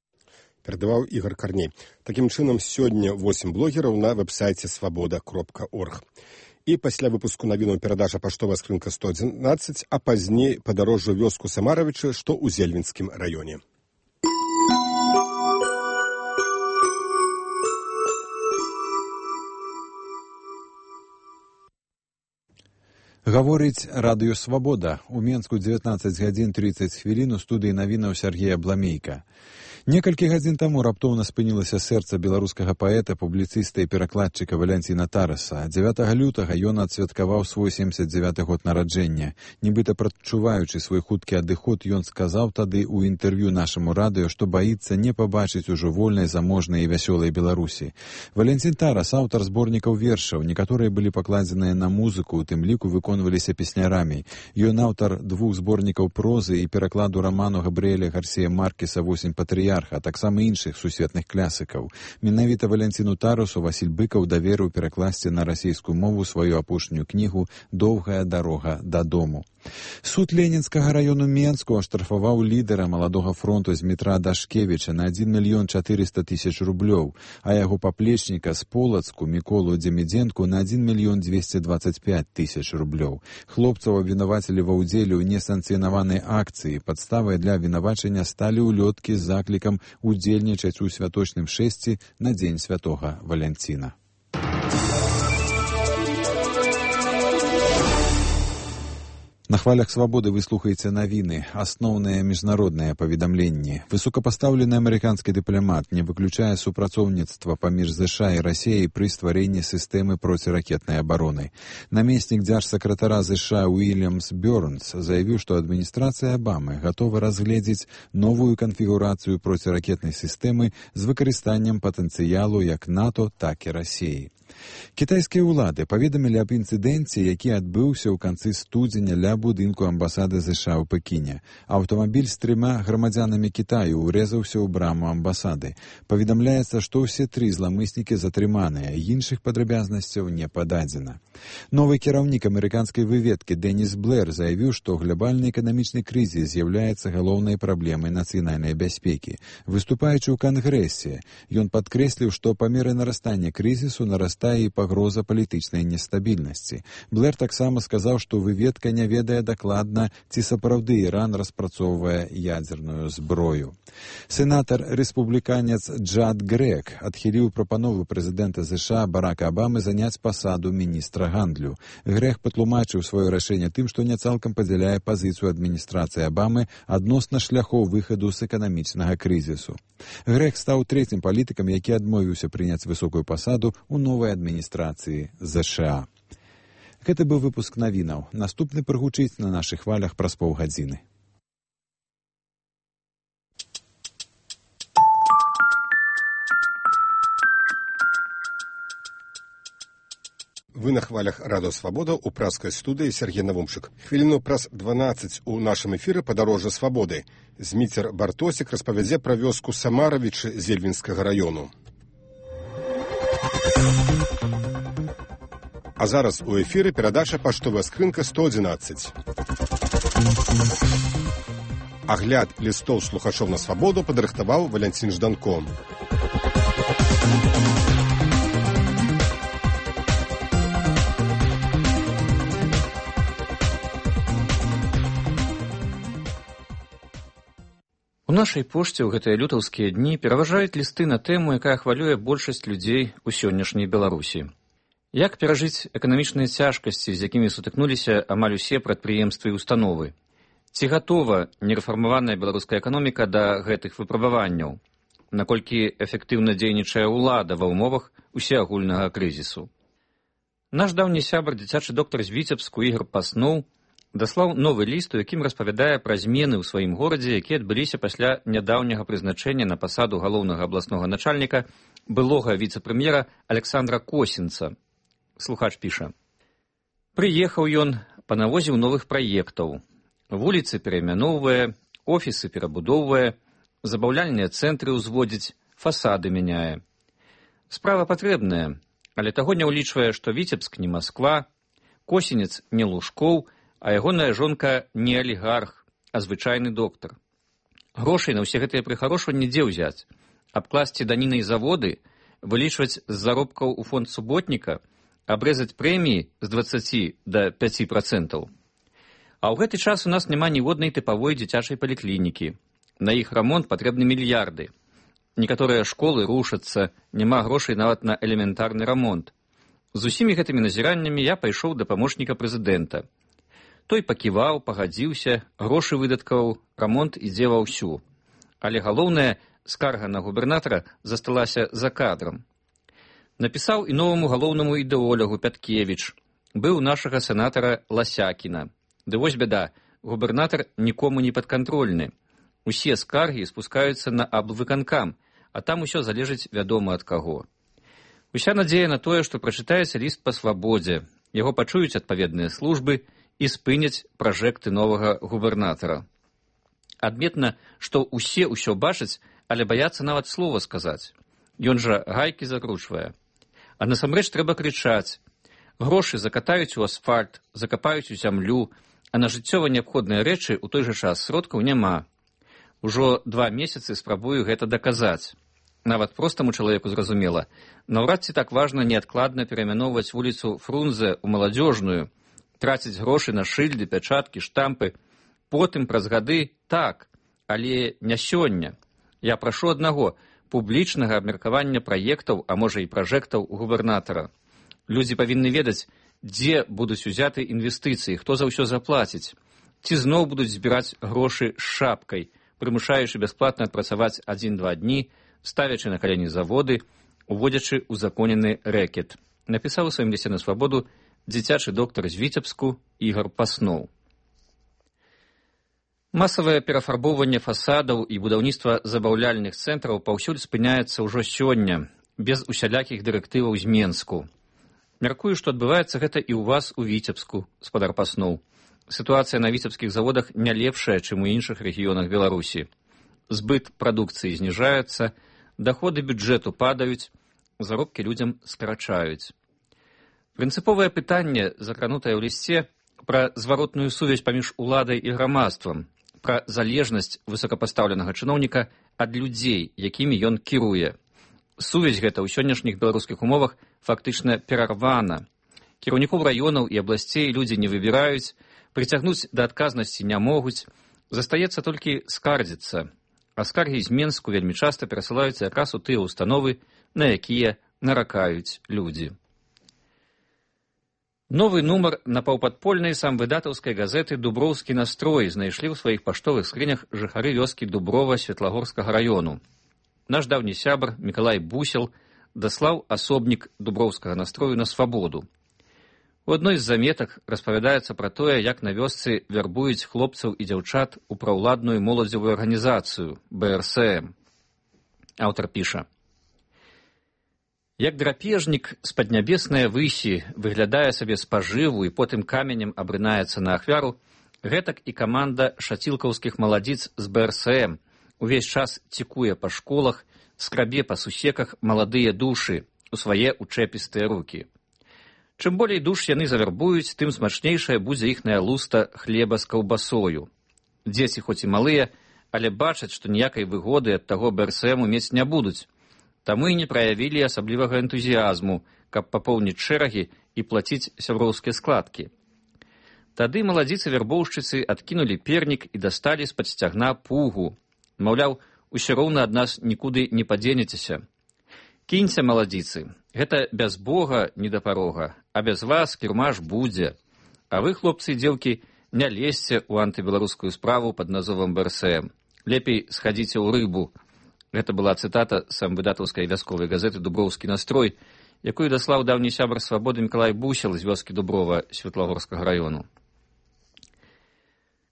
Перадаваў Ігор Карней. Такім чынам, сёння 8 блогераў на вэб-сайце свабода.орг. І пасля выпуску навінаў перадача паштовая скрынка 111, а пазней падарожжа ў вёску Самаравічы, што ў Зельвінскім раёне. Гаворыць радыё «Свабода». У Менску 19 гадзін 30 хвілін у студыі навінаў Сергея Бламейка. Некалькі гадзін таму раптоўна спынілася сэрца беларускага паэта, публіцыста і перакладчыка Валянціна Тараса. 9 лютага ён адсвяткаваў свой 79 год нараджэння. Нібыта прадчуваючы свой хуткі адыход, ён сказаў тады ў інтэрв'ю нашаму радыё, што баіцца не пабачыць ужо вольнай, заможнай і вясёлай Беларусі. Валянцін Тарас, аўтар зборнікаў вершаў, некаторыя былі пакладзеныя на музыку, у тым ліку выконваліся песнярамі. Ён аўтар 2 зборнікаў прозы і перакладу раману Габрыэля Гарсія Маркеса «8 патрыярха», а таксама іншых сусветных класікаў. Менавіта Валянціну Тарасу Васіль Быкаў даверыў перакласці на расійскую мову сваю апошнюю кнігу «Доўгая дарога дадому». Суд Ленінскага раёну Менску аштрафаваў лідара маладога фронту Змітра Дашкевіча на 1 мільён 400 тысяч рублёў, а яго паплечніка з Полацку Міколу Дземідзенку на 1 мільён 225 тысяч рублёў. Хлопцаў абвінавацілі ва ўдзеле ў несанкцыянаванай акцыі. Падставай для абвінавачання сталі ўлёткі з заклікам удзельнічаць у святочным шэсці на дзень святога Валянціна. На хвалях «Свабоды» вы слухаеце навіны, асноўныя міжнародныя паведамленні. Высокапастаўлены амерыканскі дыпламат не выключае супрацоўніцтва паміж ЗША і Расіяй пры стварэнні сістэмы проціракетнай абароны. Намеснік дзяржсакратара ЗША Уильямс Бёрнс заявіў, што адміністрацыя Абамы гатова разгледзець новую канфігурацыю проціракетнай сістэмы з выкарыстаннем патэнцыялу як НАТО, так і Расіі. Кітайскія ўлады паведамілі аб інцыдэнце, які адбыўся ў канцы студзеня ля будынку амбасады ЗША ў Пекіне. Аўтамабіль з 3 грамадзянамі Кітаю урэзаўся ў браму амбасады. Паведамляецца, што ўсе 3 зламыснікі затрыманыя, іншых падрабязнасцяў не пададзена. Новы кіраўнік амерыканскай выведкі Дэніс Блэр заявіў, што глобальны эканамічны крызіс з'яўляецца галоўнай праблемай нацыянальнай бяспекі. Выступаючы ў Кангрэсе, ён падкрэсліў, што па меры нарастання крызісу нарастае і пагроза палітычнай нестабільнасці. Блэр таксама сказаў, што выведка не ведае дакладна, ці сапраўды Іран распрацоўвае ядзерную зброю. Сенатар-рэспубліканец Джад Грэг адхіліў прапанову прэзідэнта ЗША Барака Абамы заняць пасаду міністра гандлю. Грэг патлумачыў сваё рашэнне тым, што не цалкам падзяляе пазіцыю адміністрацыі Абамы адносна шляхоў выхаду з эканамічнага крызісу. Грэг стаў 3-м палітыкам, які адмовіўся прыняць высокую пасаду ў новай адміністрацыі ЗША. Гэта быў выпуск навінаў. Наступны прагучыць на нашых хвалях праз паўгадзіны. Вы на хвалях радыё «Свабода» у праскай студыі Сергей Навумчык. Хвіліну праз 12 у нашым эфіры «Падарожжа свабоды». Зміцер Бартосік распавядзе пра вёску Самаравічы Зельвінскага раёну. А зараз у эфіры перадача паштовая скрынка 111. Агляд лістоў слухачоў на свабоду падрыхтаваў Валянцін Жданко. У нашай пошце ў гэтыя лютаўскія дні пераважаюць лісты на тэму, якая хвалюе большасць людзей у сённяшняй Беларусі. Як перажыць эканамічныя цяжкасці, з якімі сутыкнуліся амаль усе прадпрыемствы і установы? Ці гатова нерэфармаваная беларуская эканоміка да гэтых выпрабаванняў? Наколькі эфектыўна дзейнічае ўлада ва ўмовах усеагульнага крызісу? Наш даўні сябар, дзіцячы доктар з Віцебску Ігор Пасноў даслаў новы ліст, у якім распавядае пра змены ў сваім горадзе, якія адбыліся пасля нядаўняга прызначэння на пасаду галоўнага абласнога начальніка былога віцэ-прэм'ера Александра Косінца. Слухач піша: «Прыехаў ён, панавозіў новых праектаў. Вуліцы пераймяноўвае, офісы перабудоўвае, забаўляльныя цэнтры ўзводзіць, фасады мяняе. Справа патрэбная, але таго не ўлічвае, што Віцебск не Масква, Косінец не Лужкоў, а ягоная жонка не алігарх, а звычайны доктар. Грошай на ўсе гэтыя прыхарошванні дзе ўзяць? Абкласці данінай заводы, вылічваць з заробкаў у фонд суботніка, абрэзаць прэміі з 20 до 5%. А ў гэты час у нас няма ніводнай тыпавой дзіцячай паліклінікі. На іх рамонт патрэбны мільярды. Некаторыя школы рушацца, няма грошай нават на элементарны рамонт. З усімі гэтымі назіраннямі я пайшоў да памочніка прэзідэнта. Той паківаў, пагадзіўся, грошы выдаткаваў, рамонт ідзе ва ўсю. Але галоўнае, скарга на губернатара засталася за кадрам. Напісаў і новаму галоўнаму ідэолягу Пяткевіч. Быў нашага сенатара Ласякіна. Ды вось бяда, губернатар нікому не падкантрольны. Усе скаргі спускаюцца на аблвыканкам, а там усё залежыць вядома ад каго. Уся надзея на тое, што прачытаецца ліст па свабодзе, яго пачуюць адпаведныя службы і спыняць пражэкты новага губернатара. Адметна, што усе ўсё бачаць, але баяцца нават слова сказаць. Ён жа гайкі закручвае. А насамрэч трэба крычаць. Грошы закатаюць у асфальт, закапаюць у зямлю, а на жыццёва неабходныя рэчы ў той жа час сродкаў няма. Ужо 2 месяцы спрабую гэта даказаць. Нават простаму чалавеку зразумела, наўрад ці так важна неадкладна пераймяноўваць вуліцу Фрунзе ў Маладзёжную, траціць грошы на шыльды, пячаткі, штампы. Потым праз гады так, але не сёння. Я прашу аднаго – публічнага абмеркавання праектаў, а можа і пражэктаў губернатара. Людзі павінны ведаць, дзе будуць узяты інвестыцыі, хто за ўсё заплаціць. Ці зноў будуць збіраць грошы з шапкай, прымушаючы бясплатна адпрацаваць 1-2 дні, ставячы на калені заводы, уводзячы узаконены рэкет. Напісаў у сваім лісце на свабоду дзіцячы доктар з Віцебску Ігор Пасноў. Масавае перафарбоўванне фасадаў і будаўніцтва забаўляльных цэнтраў паўсюль спыняецца ўжо сёння, без усялякіх дырэктываў з Менску. Мяркую, што адбываецца гэта і ў вас у Віцебску, спадар Пасноў. Сітуацыя на віцебскіх заводах не лепшая, чым у іншых рэгіёнах Беларусі. Збыт прадукцыі зніжаецца, даходы бюджэту падаюць, заробкі людзям скарачаюць. Прынцыповае пытанне, закранутае ў лісце, пра зваротную сувязь паміж уладай і грамадствам, пра залежнасць высокапастаўленага чыноўніка ад людзей, якімі ён кіруе. Сувязь гэта ў сённяшніх беларускіх умовах фактычна перарвана. Кіраўнікоў раёнаў і абласцей людзі не выбіраюць, прыцягнуць да адказнасці не могуць, застаецца толькі скардзіцца. А скаргі з Менску вельмі часта перасылаюцца якраз у тыя ўстановы, на якія наракаюць людзі. Новы нумар напаўпадпольнай самвыдатаўскай газеты «Дуброўскі настрой» знайшлі ў сваіх паштовых скрынях жыхары вёскі Дуброва Светлагорскага раёну. Наш даўні сябар Мікалай Бусел даслаў асобнік Дуброўскага настрою на свабоду. У адной з заметак распавядаецца пра тое, як на вёсцы вярбуюць хлопцаў і дзяўчат у праўладную моладзевую арганізацыю БРСМ. Аўтар піша: «Як драпежнік з паднябеснае высі выглядае сабе спажыву і потым каменем абрынаецца на ахвяру, гэтак і каманда шацілкаўскіх маладзіц з БРСМ увесь час цікуе па школах, скрабе па сусеках маладыя душы у свае учэпістыя рукі. Чым болей душ яны завербуюць, тым смачнейшая будзе іхная луста хлеба з каўбасою. Дзеці хоць і малыя, але бачаць, што ніякай выгоды ад таго БРСМ мець не будуць. Таму і не праявілі асаблівага энтузіязму, каб папоўніць шэрагі і плаціць сяброўскія складкі. Тады маладзіцы-вярбоўшчыцы адкінулі пернік і дасталі з-пад сцягна пугу. Маўляў, усё роўна ад нас нікуды не падзенецеся. Кіньце, маладзіцы, гэта без Бога не да парога, а без вас кірмаш будзе. А вы, хлопцы і дзеўкі, не лезьце ў антыбеларускую справу пад назовам БРСМ. Лепей схадзіце ў рыбу. Гэта была цытата з самвыдатаўскай вясковай газеты «Дуброўскі настрой», якую даслаў даўні сябар свабоды Мікалай Бусел з вёскі Дуброва Светлагорскага раёну.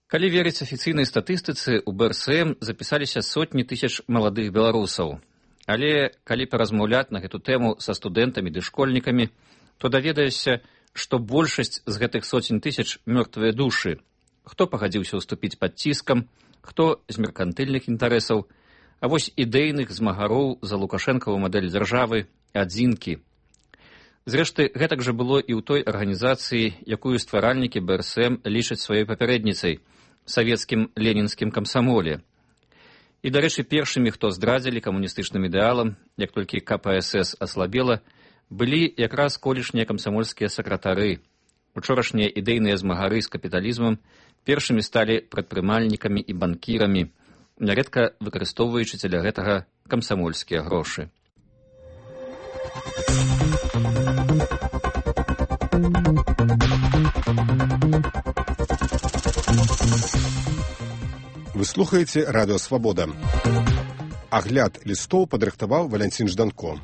Калі верыць афіцыйнай статыстыцы, у БРСМ запісаліся сотні тысяч маладых беларусаў. Але калі паразмаўляць на гэту тэму са студэнтамі ды школьнікамі, то даведаешся, што большасць з гэтых сотень тысяч мёртвыя душы. Хто пагадзіўся ўступіць пад ціскам, хто з меркантыльных інтарэсаў, а вось ідэйных змагароў за лукашэнкаву мадэль дзяржавы адзінкі. Зрэшты, гэтак жа было і ў той арганізацыі, якую стваральнікі БРСМ лічаць сваёй папярэдніцай, савецкім ленінскім камсамоле. І, дарэчы, першымі, хто здрадзілі камуністычным ідэалам, як толькі КПСС аслабела, былі якраз колішнія камсамольскія сакратары. Учорашнія ідэйныя змагары з капіталізмам першымі сталі прадпрымальнікамі і банкірамі, нярэдка выкарыстоўваючы дзеля гэтага камсамольскія грошы. Вы слухаеце радыё «Свабода». Агляд лістоў падрыхтаваў Валянцін Жданко.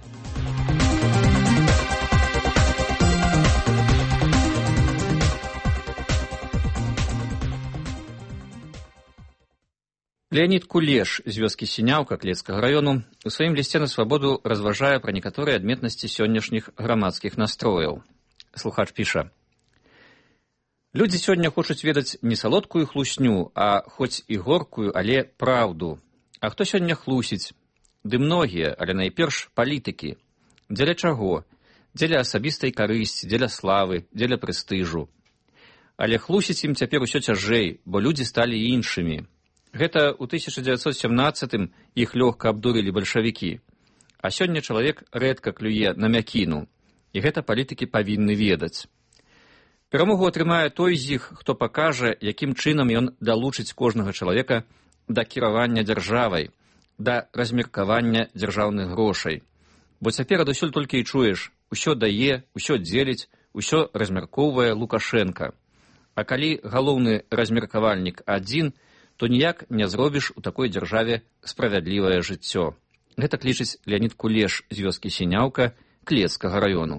Леонид Кулеш з вёскі Сіняўка Клецкага раёну у сваім лісце на «Свабоду» разважае пра некаторыя адметнасці сённяшніх грамадскіх настрояў. Слухач піша: «Людзі сёння хочуць ведаць не салодкую хлусню, а хоць і горкую, але праўду. А хто сёння хлусіць? Ды многія, але найперш палітыкі. Дзеля чаго? Дзеля асабістай карысці, дзеля славы, дзеля прэстыжу. Але хлусіць ім цяпер усё цяжэй, бо людзі сталі іншымі. Гэта ў 1917-м іх лёгка абдурылі бальшавікі. А сёння чалавек рэдка клюе на мякіну, і гэта палітыкі павінны ведаць. Перамогу атрымае той з іх, хто пакажа, якім чынам ён далучыць кожнага чалавека да кіравання дзяржавай, да размеркавання дзяржаўных грошай. Бо цяпер адусюль толькі і чуеш: усё дае, усё дзеліць, усё размяркоўвае Лукашенка. А калі галоўны размеркавальнік адзін, то ніяк не зробіш у такой дзяржаве справядлівае жыццё. Гэта лічыць Леонид Кулеш з вёскі Сіняўка Клецкага раёну.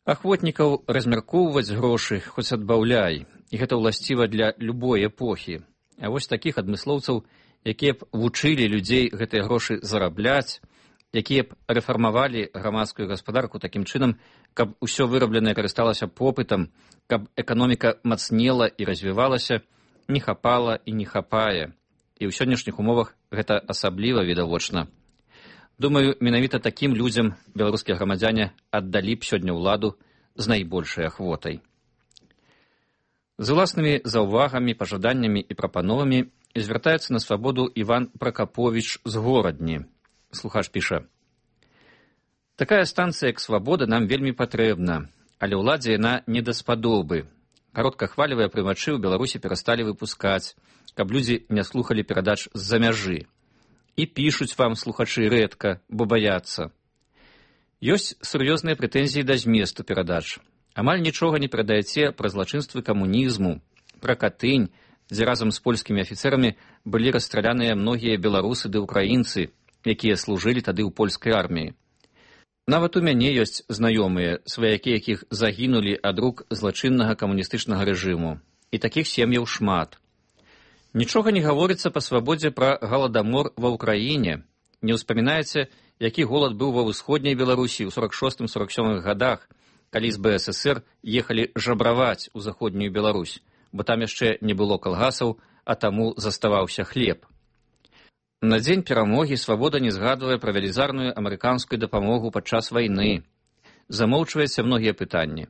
Ахвотнікаў размяркоўваць грошы хоць адбаўляй, і гэта ўласціва для любой эпохі. А вось такіх адмыслоўцаў, якія б вучылі людзей гэтыя грошы зарабляць, якія б рэфармавалі грамадскую гаспадарку такім чынам, каб усё вырабленае карысталася попытам, каб эканоміка мацнела і развівалася, не хапала і не хапае. І ў сённяшніх умовах гэта асабліва відавочна. Думаю, менавіта такім людзям беларускія грамадзяне аддалі б сёння ўладу з найбольшай ахвотай. З уласнымі заўвагамі, пажаданнямі і прапановамі звяртаецца на «Свабоду» Іван Пракаповіч з Горадні. Слухач піша: «Такая станцыя, як «Свабода», нам вельмі патрэбна, але ўладзе яна не даспадобы. Кароткахвалевыя прымачы ў Беларусі перасталі выпускаць, каб людзі не слухалі перадач з-за мяжы. І пішуць вам слухачы рэдка, бо баяцца. Ёсць сур'ёзныя прэтэнзіі да зместу перадач. Амаль нічога не перадаяце пра злачынствы камунізму, пра Катынь, дзе разам з польскімі афіцэрамі былі расстраляныя многія беларусы ды ўкраінцы, якія служылі тады ў польскай арміі. Нават у мяне ёсць знаёмыя, сваякі якіх загінулі ад рук злачыннага камуністычнага рэжыму. І такіх сем'яў шмат. Нічога не гаворыцца па «Свабодзе» пра галадамор ва ўкраіне. Не ўспамінаеце, які голад быў ва ўсходняй Беларусі ў 46-47 годах, калі з БССР ехалі жабраваць у заходнюю Беларусь, бо там яшчэ не было калгасаў, а таму заставаўся хлеб. На дзень перамогі «Свабода» не згадвае пра велізарную амерыканскую дапамогу падчас вайны. Замоўчваецца многія пытанні.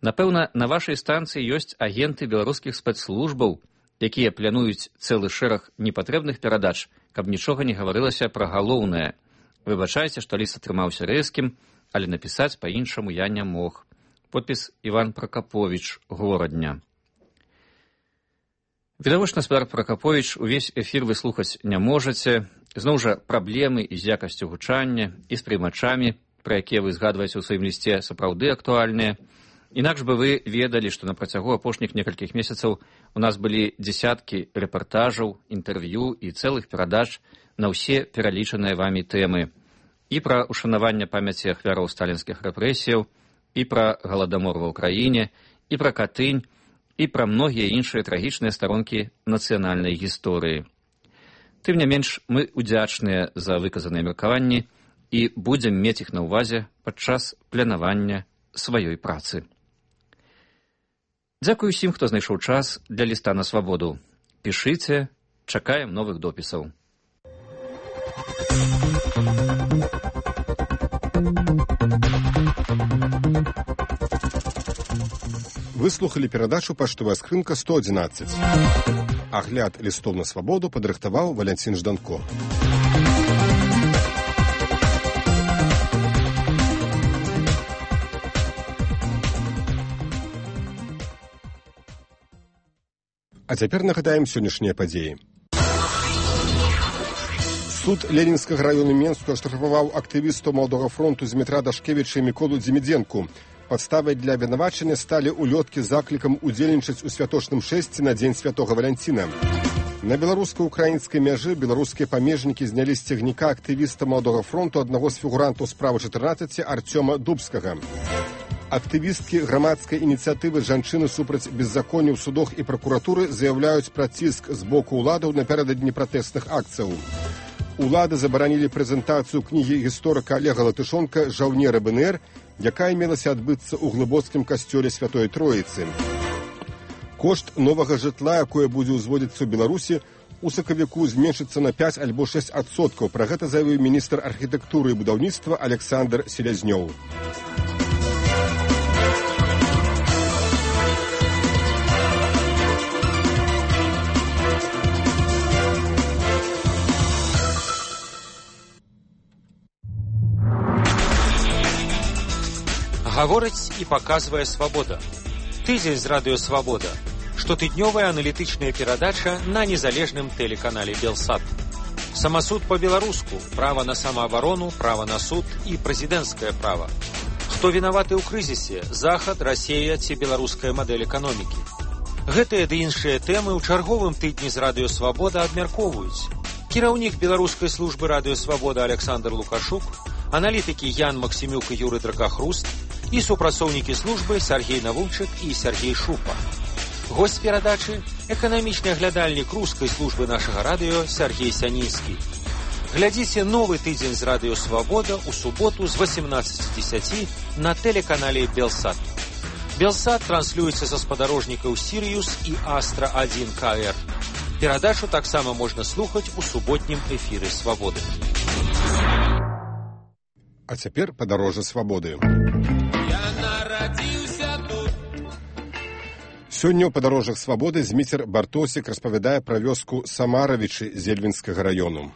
Напэўна, на вашай станцыі ёсць агенты беларускіх спецслужбаў, якія плануюць цэлы шэраг непатрэбных перадач, каб нічога не гаварылася пра галоўнае. Выбачайце, што ліст атрымаўся рэзкім, але напісаць па-іншаму я не мог. Подпіс Іван Пракаповіч, Горадня. Відавочна, спадар Пракаповіч, увесь эфір вы слухаць не можаце. Зноў жа, праблемы і з якасцю гучання, і з прымачамі, пра якія вы згадваеце ў сваім лісце, сапраўды актуальныя. Інакш бы вы ведалі, што на працягу апошніх некалькіх месяцаў у нас былі дзесяткі рэпартажаў, інтэрв'ю і цэлых перадач на ўсе пералічаныя вамі тэмы. І пра ушанаванне памяці ахвяраў сталінскіх рэпрэсіяў, і пра галадамор ва ўкраіне, і пра Катынь, і пра многія іншыя трагічныя старонкі нацыянальнай гісторыі. Тым не менш, мы удзячныя за выказаныя меркаванні і будзем мець іх на ўвазе падчас планавання сваёй працы. Дзякую усім, хто знайшоў час для ліста на свабоду. Пішыце, чакаем новых допісаў. Выслухалі перадачу «Паштовая скрынка 111». Агляд лістоў на свабоду падрыхтаваў Валянцін Жданко. А цяпер нагадаем сённяшнія падзеі. Суд Ленінскага раёну Менску аштрафаваў актывістаў Маладога фронту Змітра Дашкевіча і Міколу Дзімідзенку. Падставай для абвінавачання сталі улёткі з заклікам удзельнічаць у святочным шэсці на дзень святога Валянціна. На беларуска-украінскай мяжы беларускія памежнікі знялі з цягніка актывіста Маладога фронту аднаго з фігурантаў справы 14 Арцёма Дубскага. Актывісткі грамадскай ініцыятывы «Жанчыны супраць беззаконня ў судах і пракуратуры» заяўляюць пра ціск з боку ўладаў напярэдадні пратэсных акцыяў. Улады забаранілі прэзентацыю кнігі гісторыка Олега Латышонка «Жаўнеры БНР», якая мелася адбыцца ў глыбоцкім касцёле Святой Троіцы. Кошт новага жытла, якое будзе ўзводзіцца ў Беларусі, у сакавіку зменшыцца на 5 альбо 6%. Пра гэта заявіў міністр архітэктуры і будаўніцтва Александр Селязнёў. Гаворыць і паказвае «Свабода». Тыдзень з радыё «Свабода». Штотыднёвая аналітычная перадача на незалежным тэлеканале «Белсат». Самасуд па-беларуску, права на самаабарону, права на суд і прэзідэнцкае права. Хто вінаваты ў крызісе, Захад, Расія ці беларуская мадэль эканомікі. Гэтыя ды іншыя тэмы ў чарговым тыдні з радыё «Свабода» абмяркоўваюць. Кіраўнік беларускай службы радыё «Свабода» Александр Лукашук, аналітыкі Ян Максімюк і Юры Дракахруст і супрацоўнікі службы Сергей Навунчык і Сергей Шупа. Госць перадачы – эканамічны аглядальнік рускай службы нашага радыё Сергей Сянінскі. Глядзіце новы тыдзень з радыё «Свабода» у суботу з 18:10 на тэлеканале «Белсат». «Белсат» транслюецца са спадарожнікаў «Сірыюс» і «Астра-1 КР». Перадачу таксама можна слухаць у суботнім эфіры «Свабоды». А цяпер падарожжа свабоды. Сёння ў падарожжах свабоды Зміцер Бартосік распавядае пра вёску Самаравічы Зельвінскага раёну.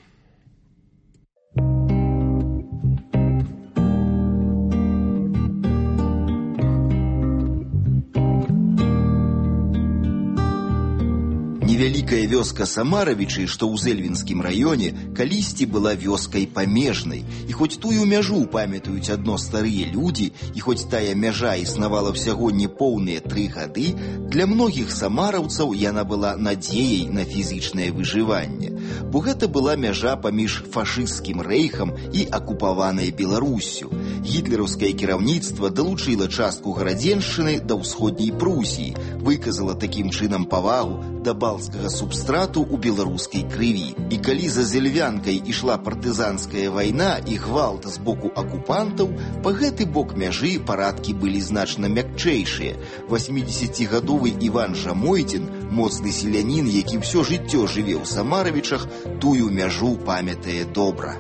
Невялікая вёска Самаравічы, што ў Зельвінскім раёне, калісьці была вёскай памежнай. І хоць тую мяжу памятаюць адно старыя людзі, і хоць тая мяжа існавала ўсяго непоўныя 3 гады, для многіх самараўцаў яна была надзеяй на фізічнае выжыванне. Бо гэта была мяжа паміж фашысцкім рэйхам і акупаванай Беларуссю. Гітлераўскае кіраўніцтва далучыла частку гарадзеншчыны да ўсходняй Прусіі, выказала такім чынам павагу да балцкага субстрату ў беларускай крыві. І калі за Зельвянкай ішла партызанская вайна і гвалт з боку акупантаў, па гэты бок мяжы парадкі былі значна мякчэйшыя. 80-гадовы Іван Жамойцін, моцны селянін, які ўсё жыццё жыве ў Самаравічах, тую мяжу памятае добра.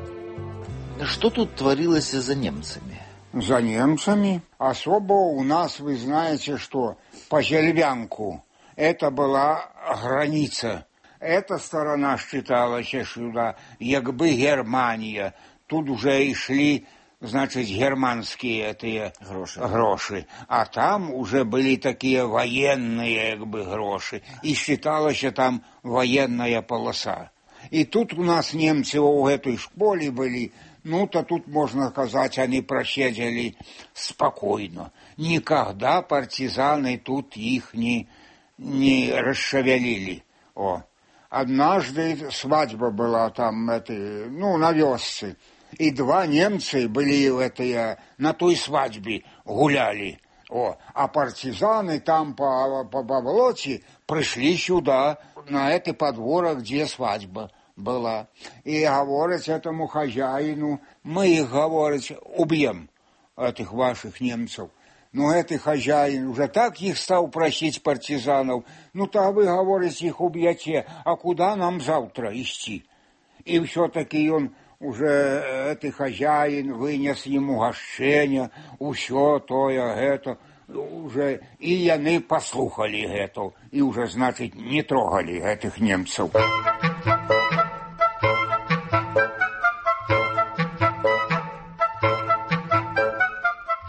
Что тут творилось за немцами? За немцами? Особо у нас, вы знаете, что по Зельвянку это была граница. Эта сторона считалась сюда, как бы Германия. Тут уже и шли, значит, германские эти гроши. А там уже были такие военные, как бы, гроши. И считалась там военная полоса. И тут у нас немцы в этой школе были. Ну-то тут, можно сказать, они просидели спокойно. Никогда партизаны тут их не расшевелили. Однажды свадьба была там, на вёсце. И 2 немца были на той свадьбе, гуляли. А партизаны там по болоте пришли сюда, на это подворок, где свадьба была. И говорят этому хозяину, мы их, говорят, убьем, этих ваших немцев. Но этот хозяин уже так их стал просить партизанов, то вы, говорите, их убьете, а куда нам завтра идти? И все-таки он уже, этот хозяин, вынес ему гощение, все то, это, уже, и они послухали это, и уже, значит, не трогали этих немцев.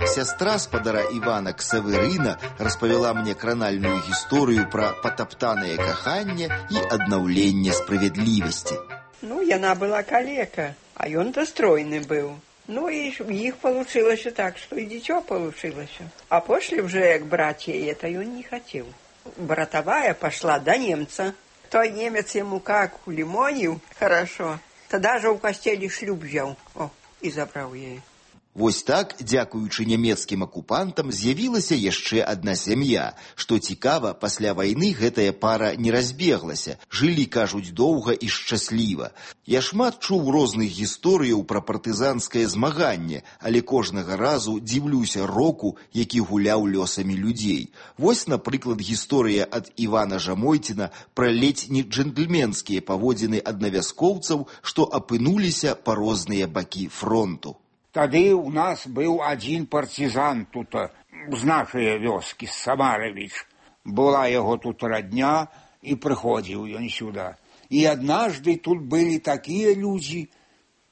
Сястра спадара Івана Ксаверына распавяла мне кранальную гісторыю пра патаптанае каханне і аднаўленне справядлівасці. Яна была калека, а ён достройны быў. И их получилось так, что и дитё получилось. А после уже, как братья, это он не хотел. Братовая пошла до немца. Той немец ему как улимонил хорошо, тогда же у костелі шлюб взял и забрал ей. Вось так, дзякуючы нямецкім акупантам, з'явілася яшчэ адна сям'я. Што цікава, пасля вайны гэтая пара не разбеглася. Жылі, кажуць, доўга і шчасліва. Я шмат чуў розных гісторыяў пра партызанскае змаганне, але кожнага разу дзіўлюся року, які гуляў лёсамі людзей. Вось, напрыклад, гісторыя ад Івана Жамойціна пра ледзь не джентльменскія паводзіны аднавяскоўцаў, што апынуліся па розныя бакі фронту. Тады у нас был один партизан тут, з нашей вёски, Самарович. Была его тут родня, и приходил он сюда. И однажды тут были такие люди,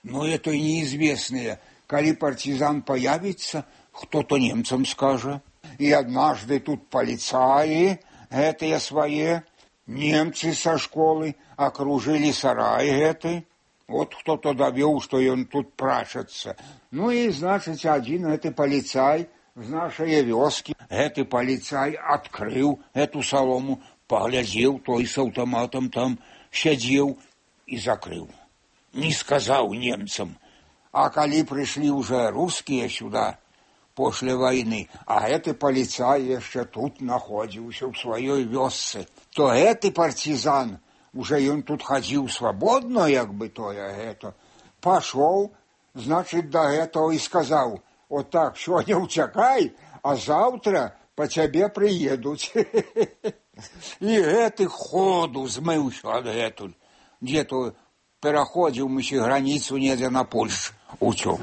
но это неизвестные. Коли партизан появится, кто-то немцам скажет. И однажды тут полицаи, это свои, немцы со школы, окружили сарай этой. Вот кто-то довел, что он тут прашется. И, значит, один этот полицай в нашей вёске, этот полицай открыл эту солому, поглядел, той с автоматом там сидел и закрыл. Не сказал немцам. А коли пришли уже русские сюда после войны, а этот полицай еще тут находился в своей вёсце, то этот партизан, уже он тут ходил свободно, пошел, значит, до этого и сказал, вот так, сегодня утекай, а завтра по тебе приедут. И этот ходу змылся от этого. Где-то переходил мы границу неде на Польшу, утек.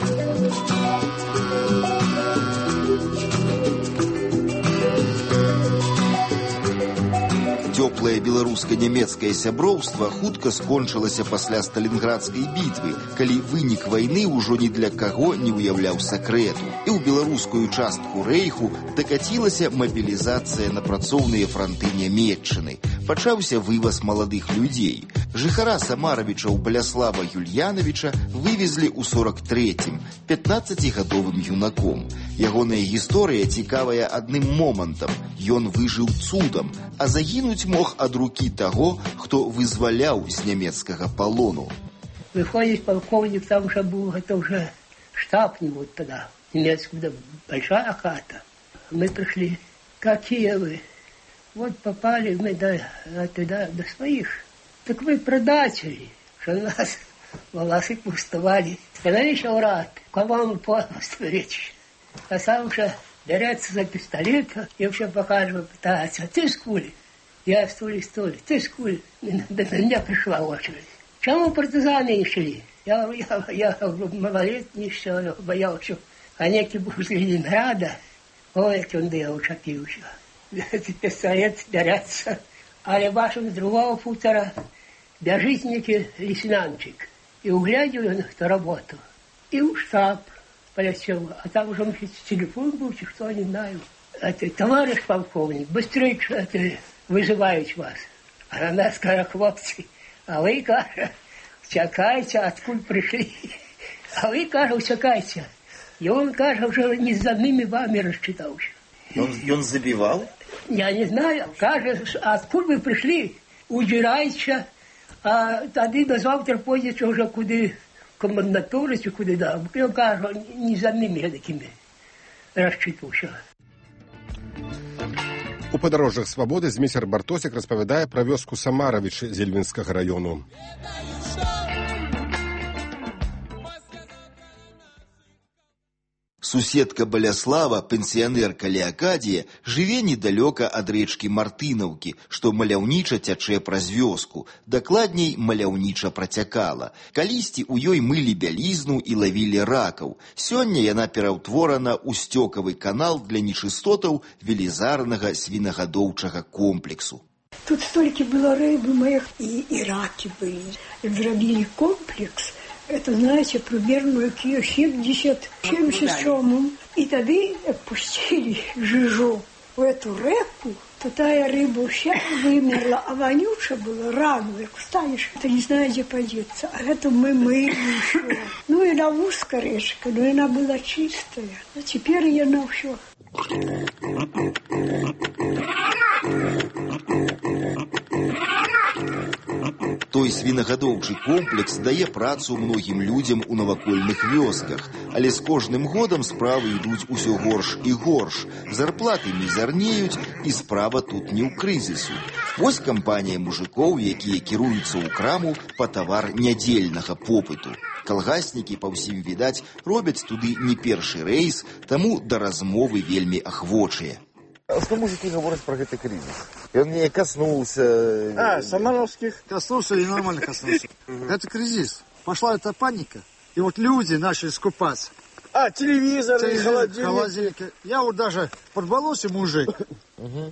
Цёплае беларуска-нямецкае сяброўства хутка скончылася пасля сталінградскай бітвы, калі вынік вайны ўжо ні для каго не ўяўляў сакрэту. І ў беларускую частку рэйху дакацілася мабілізацыя на працоўныя франты нямецчыны. Пачаўся вываз маладых людзей. Жыхара Самаравіча Баляслава Юльяновича вывезлі ў 43-м, 15-гадовым юнаком. Ягоная гісторыя цікавая адным момантам. Ён выжыў цудам, а загінуць мог ад рукі таго, хто вызваляў з нямецкага палону. Выходит полковник, там уже был, это уже штаб не вот тогда, немецкая, большая хата. Мы пришли, какие вы? Вот попали мы туда, до своих. Так вы предатели, что нас волосы пустовали. Становись рад, к вам полностью речь. А сам уже берется за пистолет и вообще покажет, пытается. Ты с кули? Я стуле, ты с кули? До меня пришла очередь. Чему партизаны не шли? Я малолетний еще боялся. А некий был из Ленинграда. Ой, как он я учапился. Пистолет берется. А вашим с другого футера бежит некий лейтенантчик. И углядел он эту работу. И в штаб полетел. А там уже телефон был, что не знаю. Это товарищ полковник, быстрее вызывают вас. А на нас, как хлопцы. А вы, кажется, чекайте, откуда пришли. А вы, кажется, чекайте. И он, кажется, уже не за ними вами рассчитался. Он забивал? Я не знаю. Кажется, откуда вы пришли, удирайте. А тогда до завтра пойдете уже куда комендатуры, куда да. Я, кажется, не за ними такими рассчитался. У падарожжах свабоды Зміцер Бартосік распавядае пра вёску Самаравічы Зельвінскага раёну. Суседка Баляслава, пенсіянерка Леакадія, жыве недалёка ад рэчкі Мартынаўкі, што маляўніча цячэ праз вёску, дакладней, маляўніча працякала. Калісьці ў ёй мылі бялізну і лавілі ракаў. Сёння яна пераўтворана ў сцёкавы канал для нечыстотаў велізарнага свінагадоўчага комплексу. Тут столькі было рыбы моих и раки были. Зробили комплекс. Это, знаете, примерно 70-77. И тогда пустили жижу в эту реку. То тая рыба вся вымерла, а вонюча была, рано, как встанешь, ты не знаешь, где подеться. А это мы мыли еще. Ну, и она узкая речка, но она была чистая. А теперь она все. Той свінагадоўчы комплекс дае працу многім людзям у навакольных вёсках, але з кожным годам справы ідуць усё горш і горш. Зарплаты мізарнеюць, і справа тут не ў крызісу. Вось кампанія мужикоў, якія кіруюцца ў краму па тавар нядзельнага попыту. Калгаснікі, па ўсім відаць, робяць туды не першы рэйс, таму да размовы вельмі ахвочыя. Что мужики говорят про этот кризис? И он мне коснулся. Самаровских коснулся и нормально коснулся. Это кризис. Пошла эта паника. И вот люди начали скупаться. Телевизор, холодильник. Я вот даже подболосся мужик.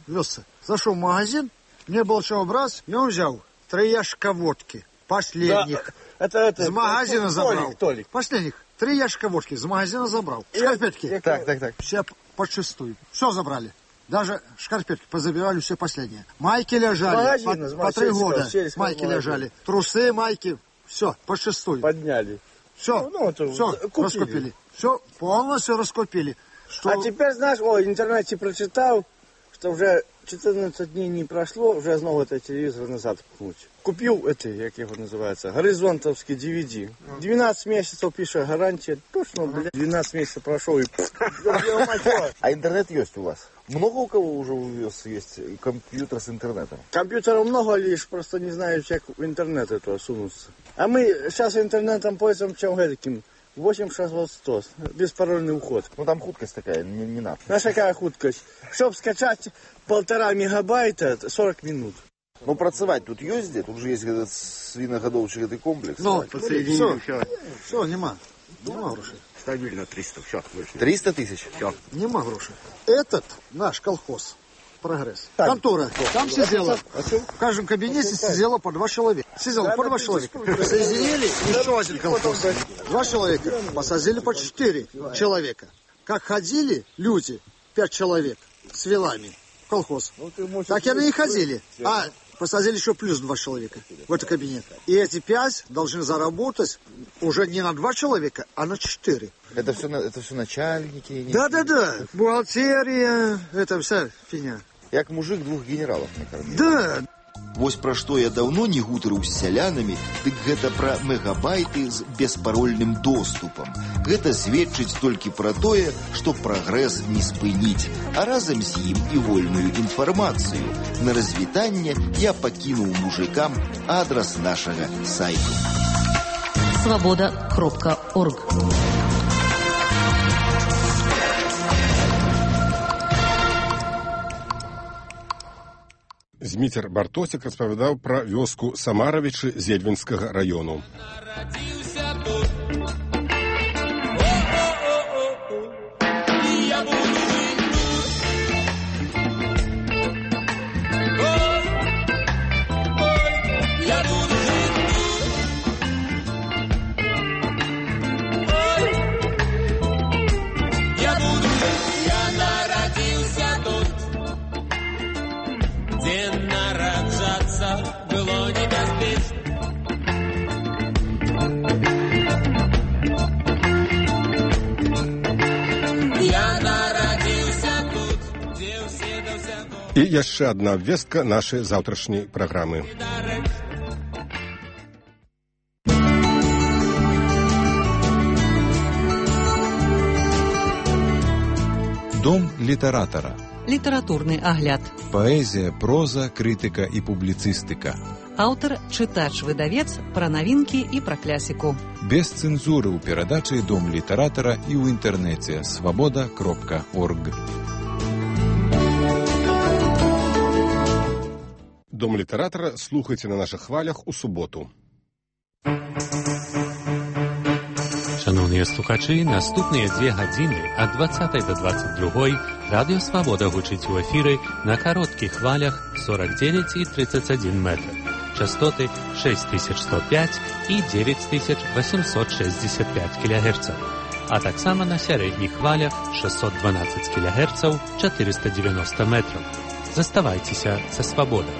Везся. Зашел в магазин, мне было чего брать, и он взял 3 ящика водки. Последних. Это с магазина забрал. Толик. Последних. 3 ящика водки с магазина забрал. Шкарпетки. Так. Все подчистую. Все забрали. Даже шкарпетки позабирали все последние. Майки лежали по 3 года. Майки лежали. Трусы, майки. Все, подчистую. Подняли. Все, все раскупили. Все, полностью раскупили. Что... А теперь, знаешь, в интернете прочитал, что уже 14 дней не прошло, уже снова этот телевизор назад пхнуть. Купил как его называется, горизонтовский DVD. 12 месяцев пишет гарантия. Точно, 12 месяцев прошел и... А интернет есть у вас? Много у кого уже у вас есть компьютер с интернетом? Компьютеров много, лишь просто не знаю, как в интернет это сунуться. А мы сейчас интернетом пользуемся чем таким. 8-6-100, беспарольный уход. Ну там хуткость такая, не надо. Знаешь, какая хуткость? Чтобы скачать 1,5 мегабайта, 40 минут. Ну, працевать тут есть где? Тут же есть этот свиногодовчий этот комплекс. Ну, подсоединили все, нема грошей. Стабильно 300, все. 300 тысяч? Все. Нема грошей. Этот наш колхоз, прогресс. Контора, там сидела, в каждом кабинете сидела по 2 человека. Сидела по 2 человека. Соединили еще один колхоз. 2 человека. Посадили по 4 человека. Как ходили люди, 5 человек, с вилами в колхоз. Так и они и ходили. А посадили еще плюс 2 человека в этот кабинет. И эти 5 должны заработать уже не на 2 человека, а на 4. Это все начальники? Да. Бухгалтерия, это вся фигня. Як мужик 2 генералов, мне кажется. Да. Вось пра што я даўно не гутарыў з сялянамі, дык гэта пра мегабайты з беспарольным доступам. Гэта сведчыць толькі пра тое, што прагрэс не спыніць, а разам з ім і вольную інфармацыю. На развітанне я пакінуў мужикам адрас нашага сайту. Свобода.орг. Зміцер Бартосік распавядаў пра вёску Самаравічы Зельвінскага раёну. І яшчэ адна абвестка нашай заўтрашняй праграмы. Дом літаратара. літаратурны агляд. Паэзія, проза, крытыка і публіцыстыка. Аўтар, чытач, выдавец, пра навінкі і пра клясіку. Без цэнзуры ў перадачы «Дом літаратара» і ў інтэрнэце свабода.орг. Дом літаратара слухайце на нашых хвалях у суботу. Шановныя слухачы, наступныя 2 гадзіны ад 20 до 22 радыё «Свабода» гучыць у эфіры на кароткіх хвалях 49 і 31 метр. Частоты 6105 і 9865 кГц. А таксама на сярэдніх хвалях 612 кГц 490 метров. Заставайцеся са «Свабодай».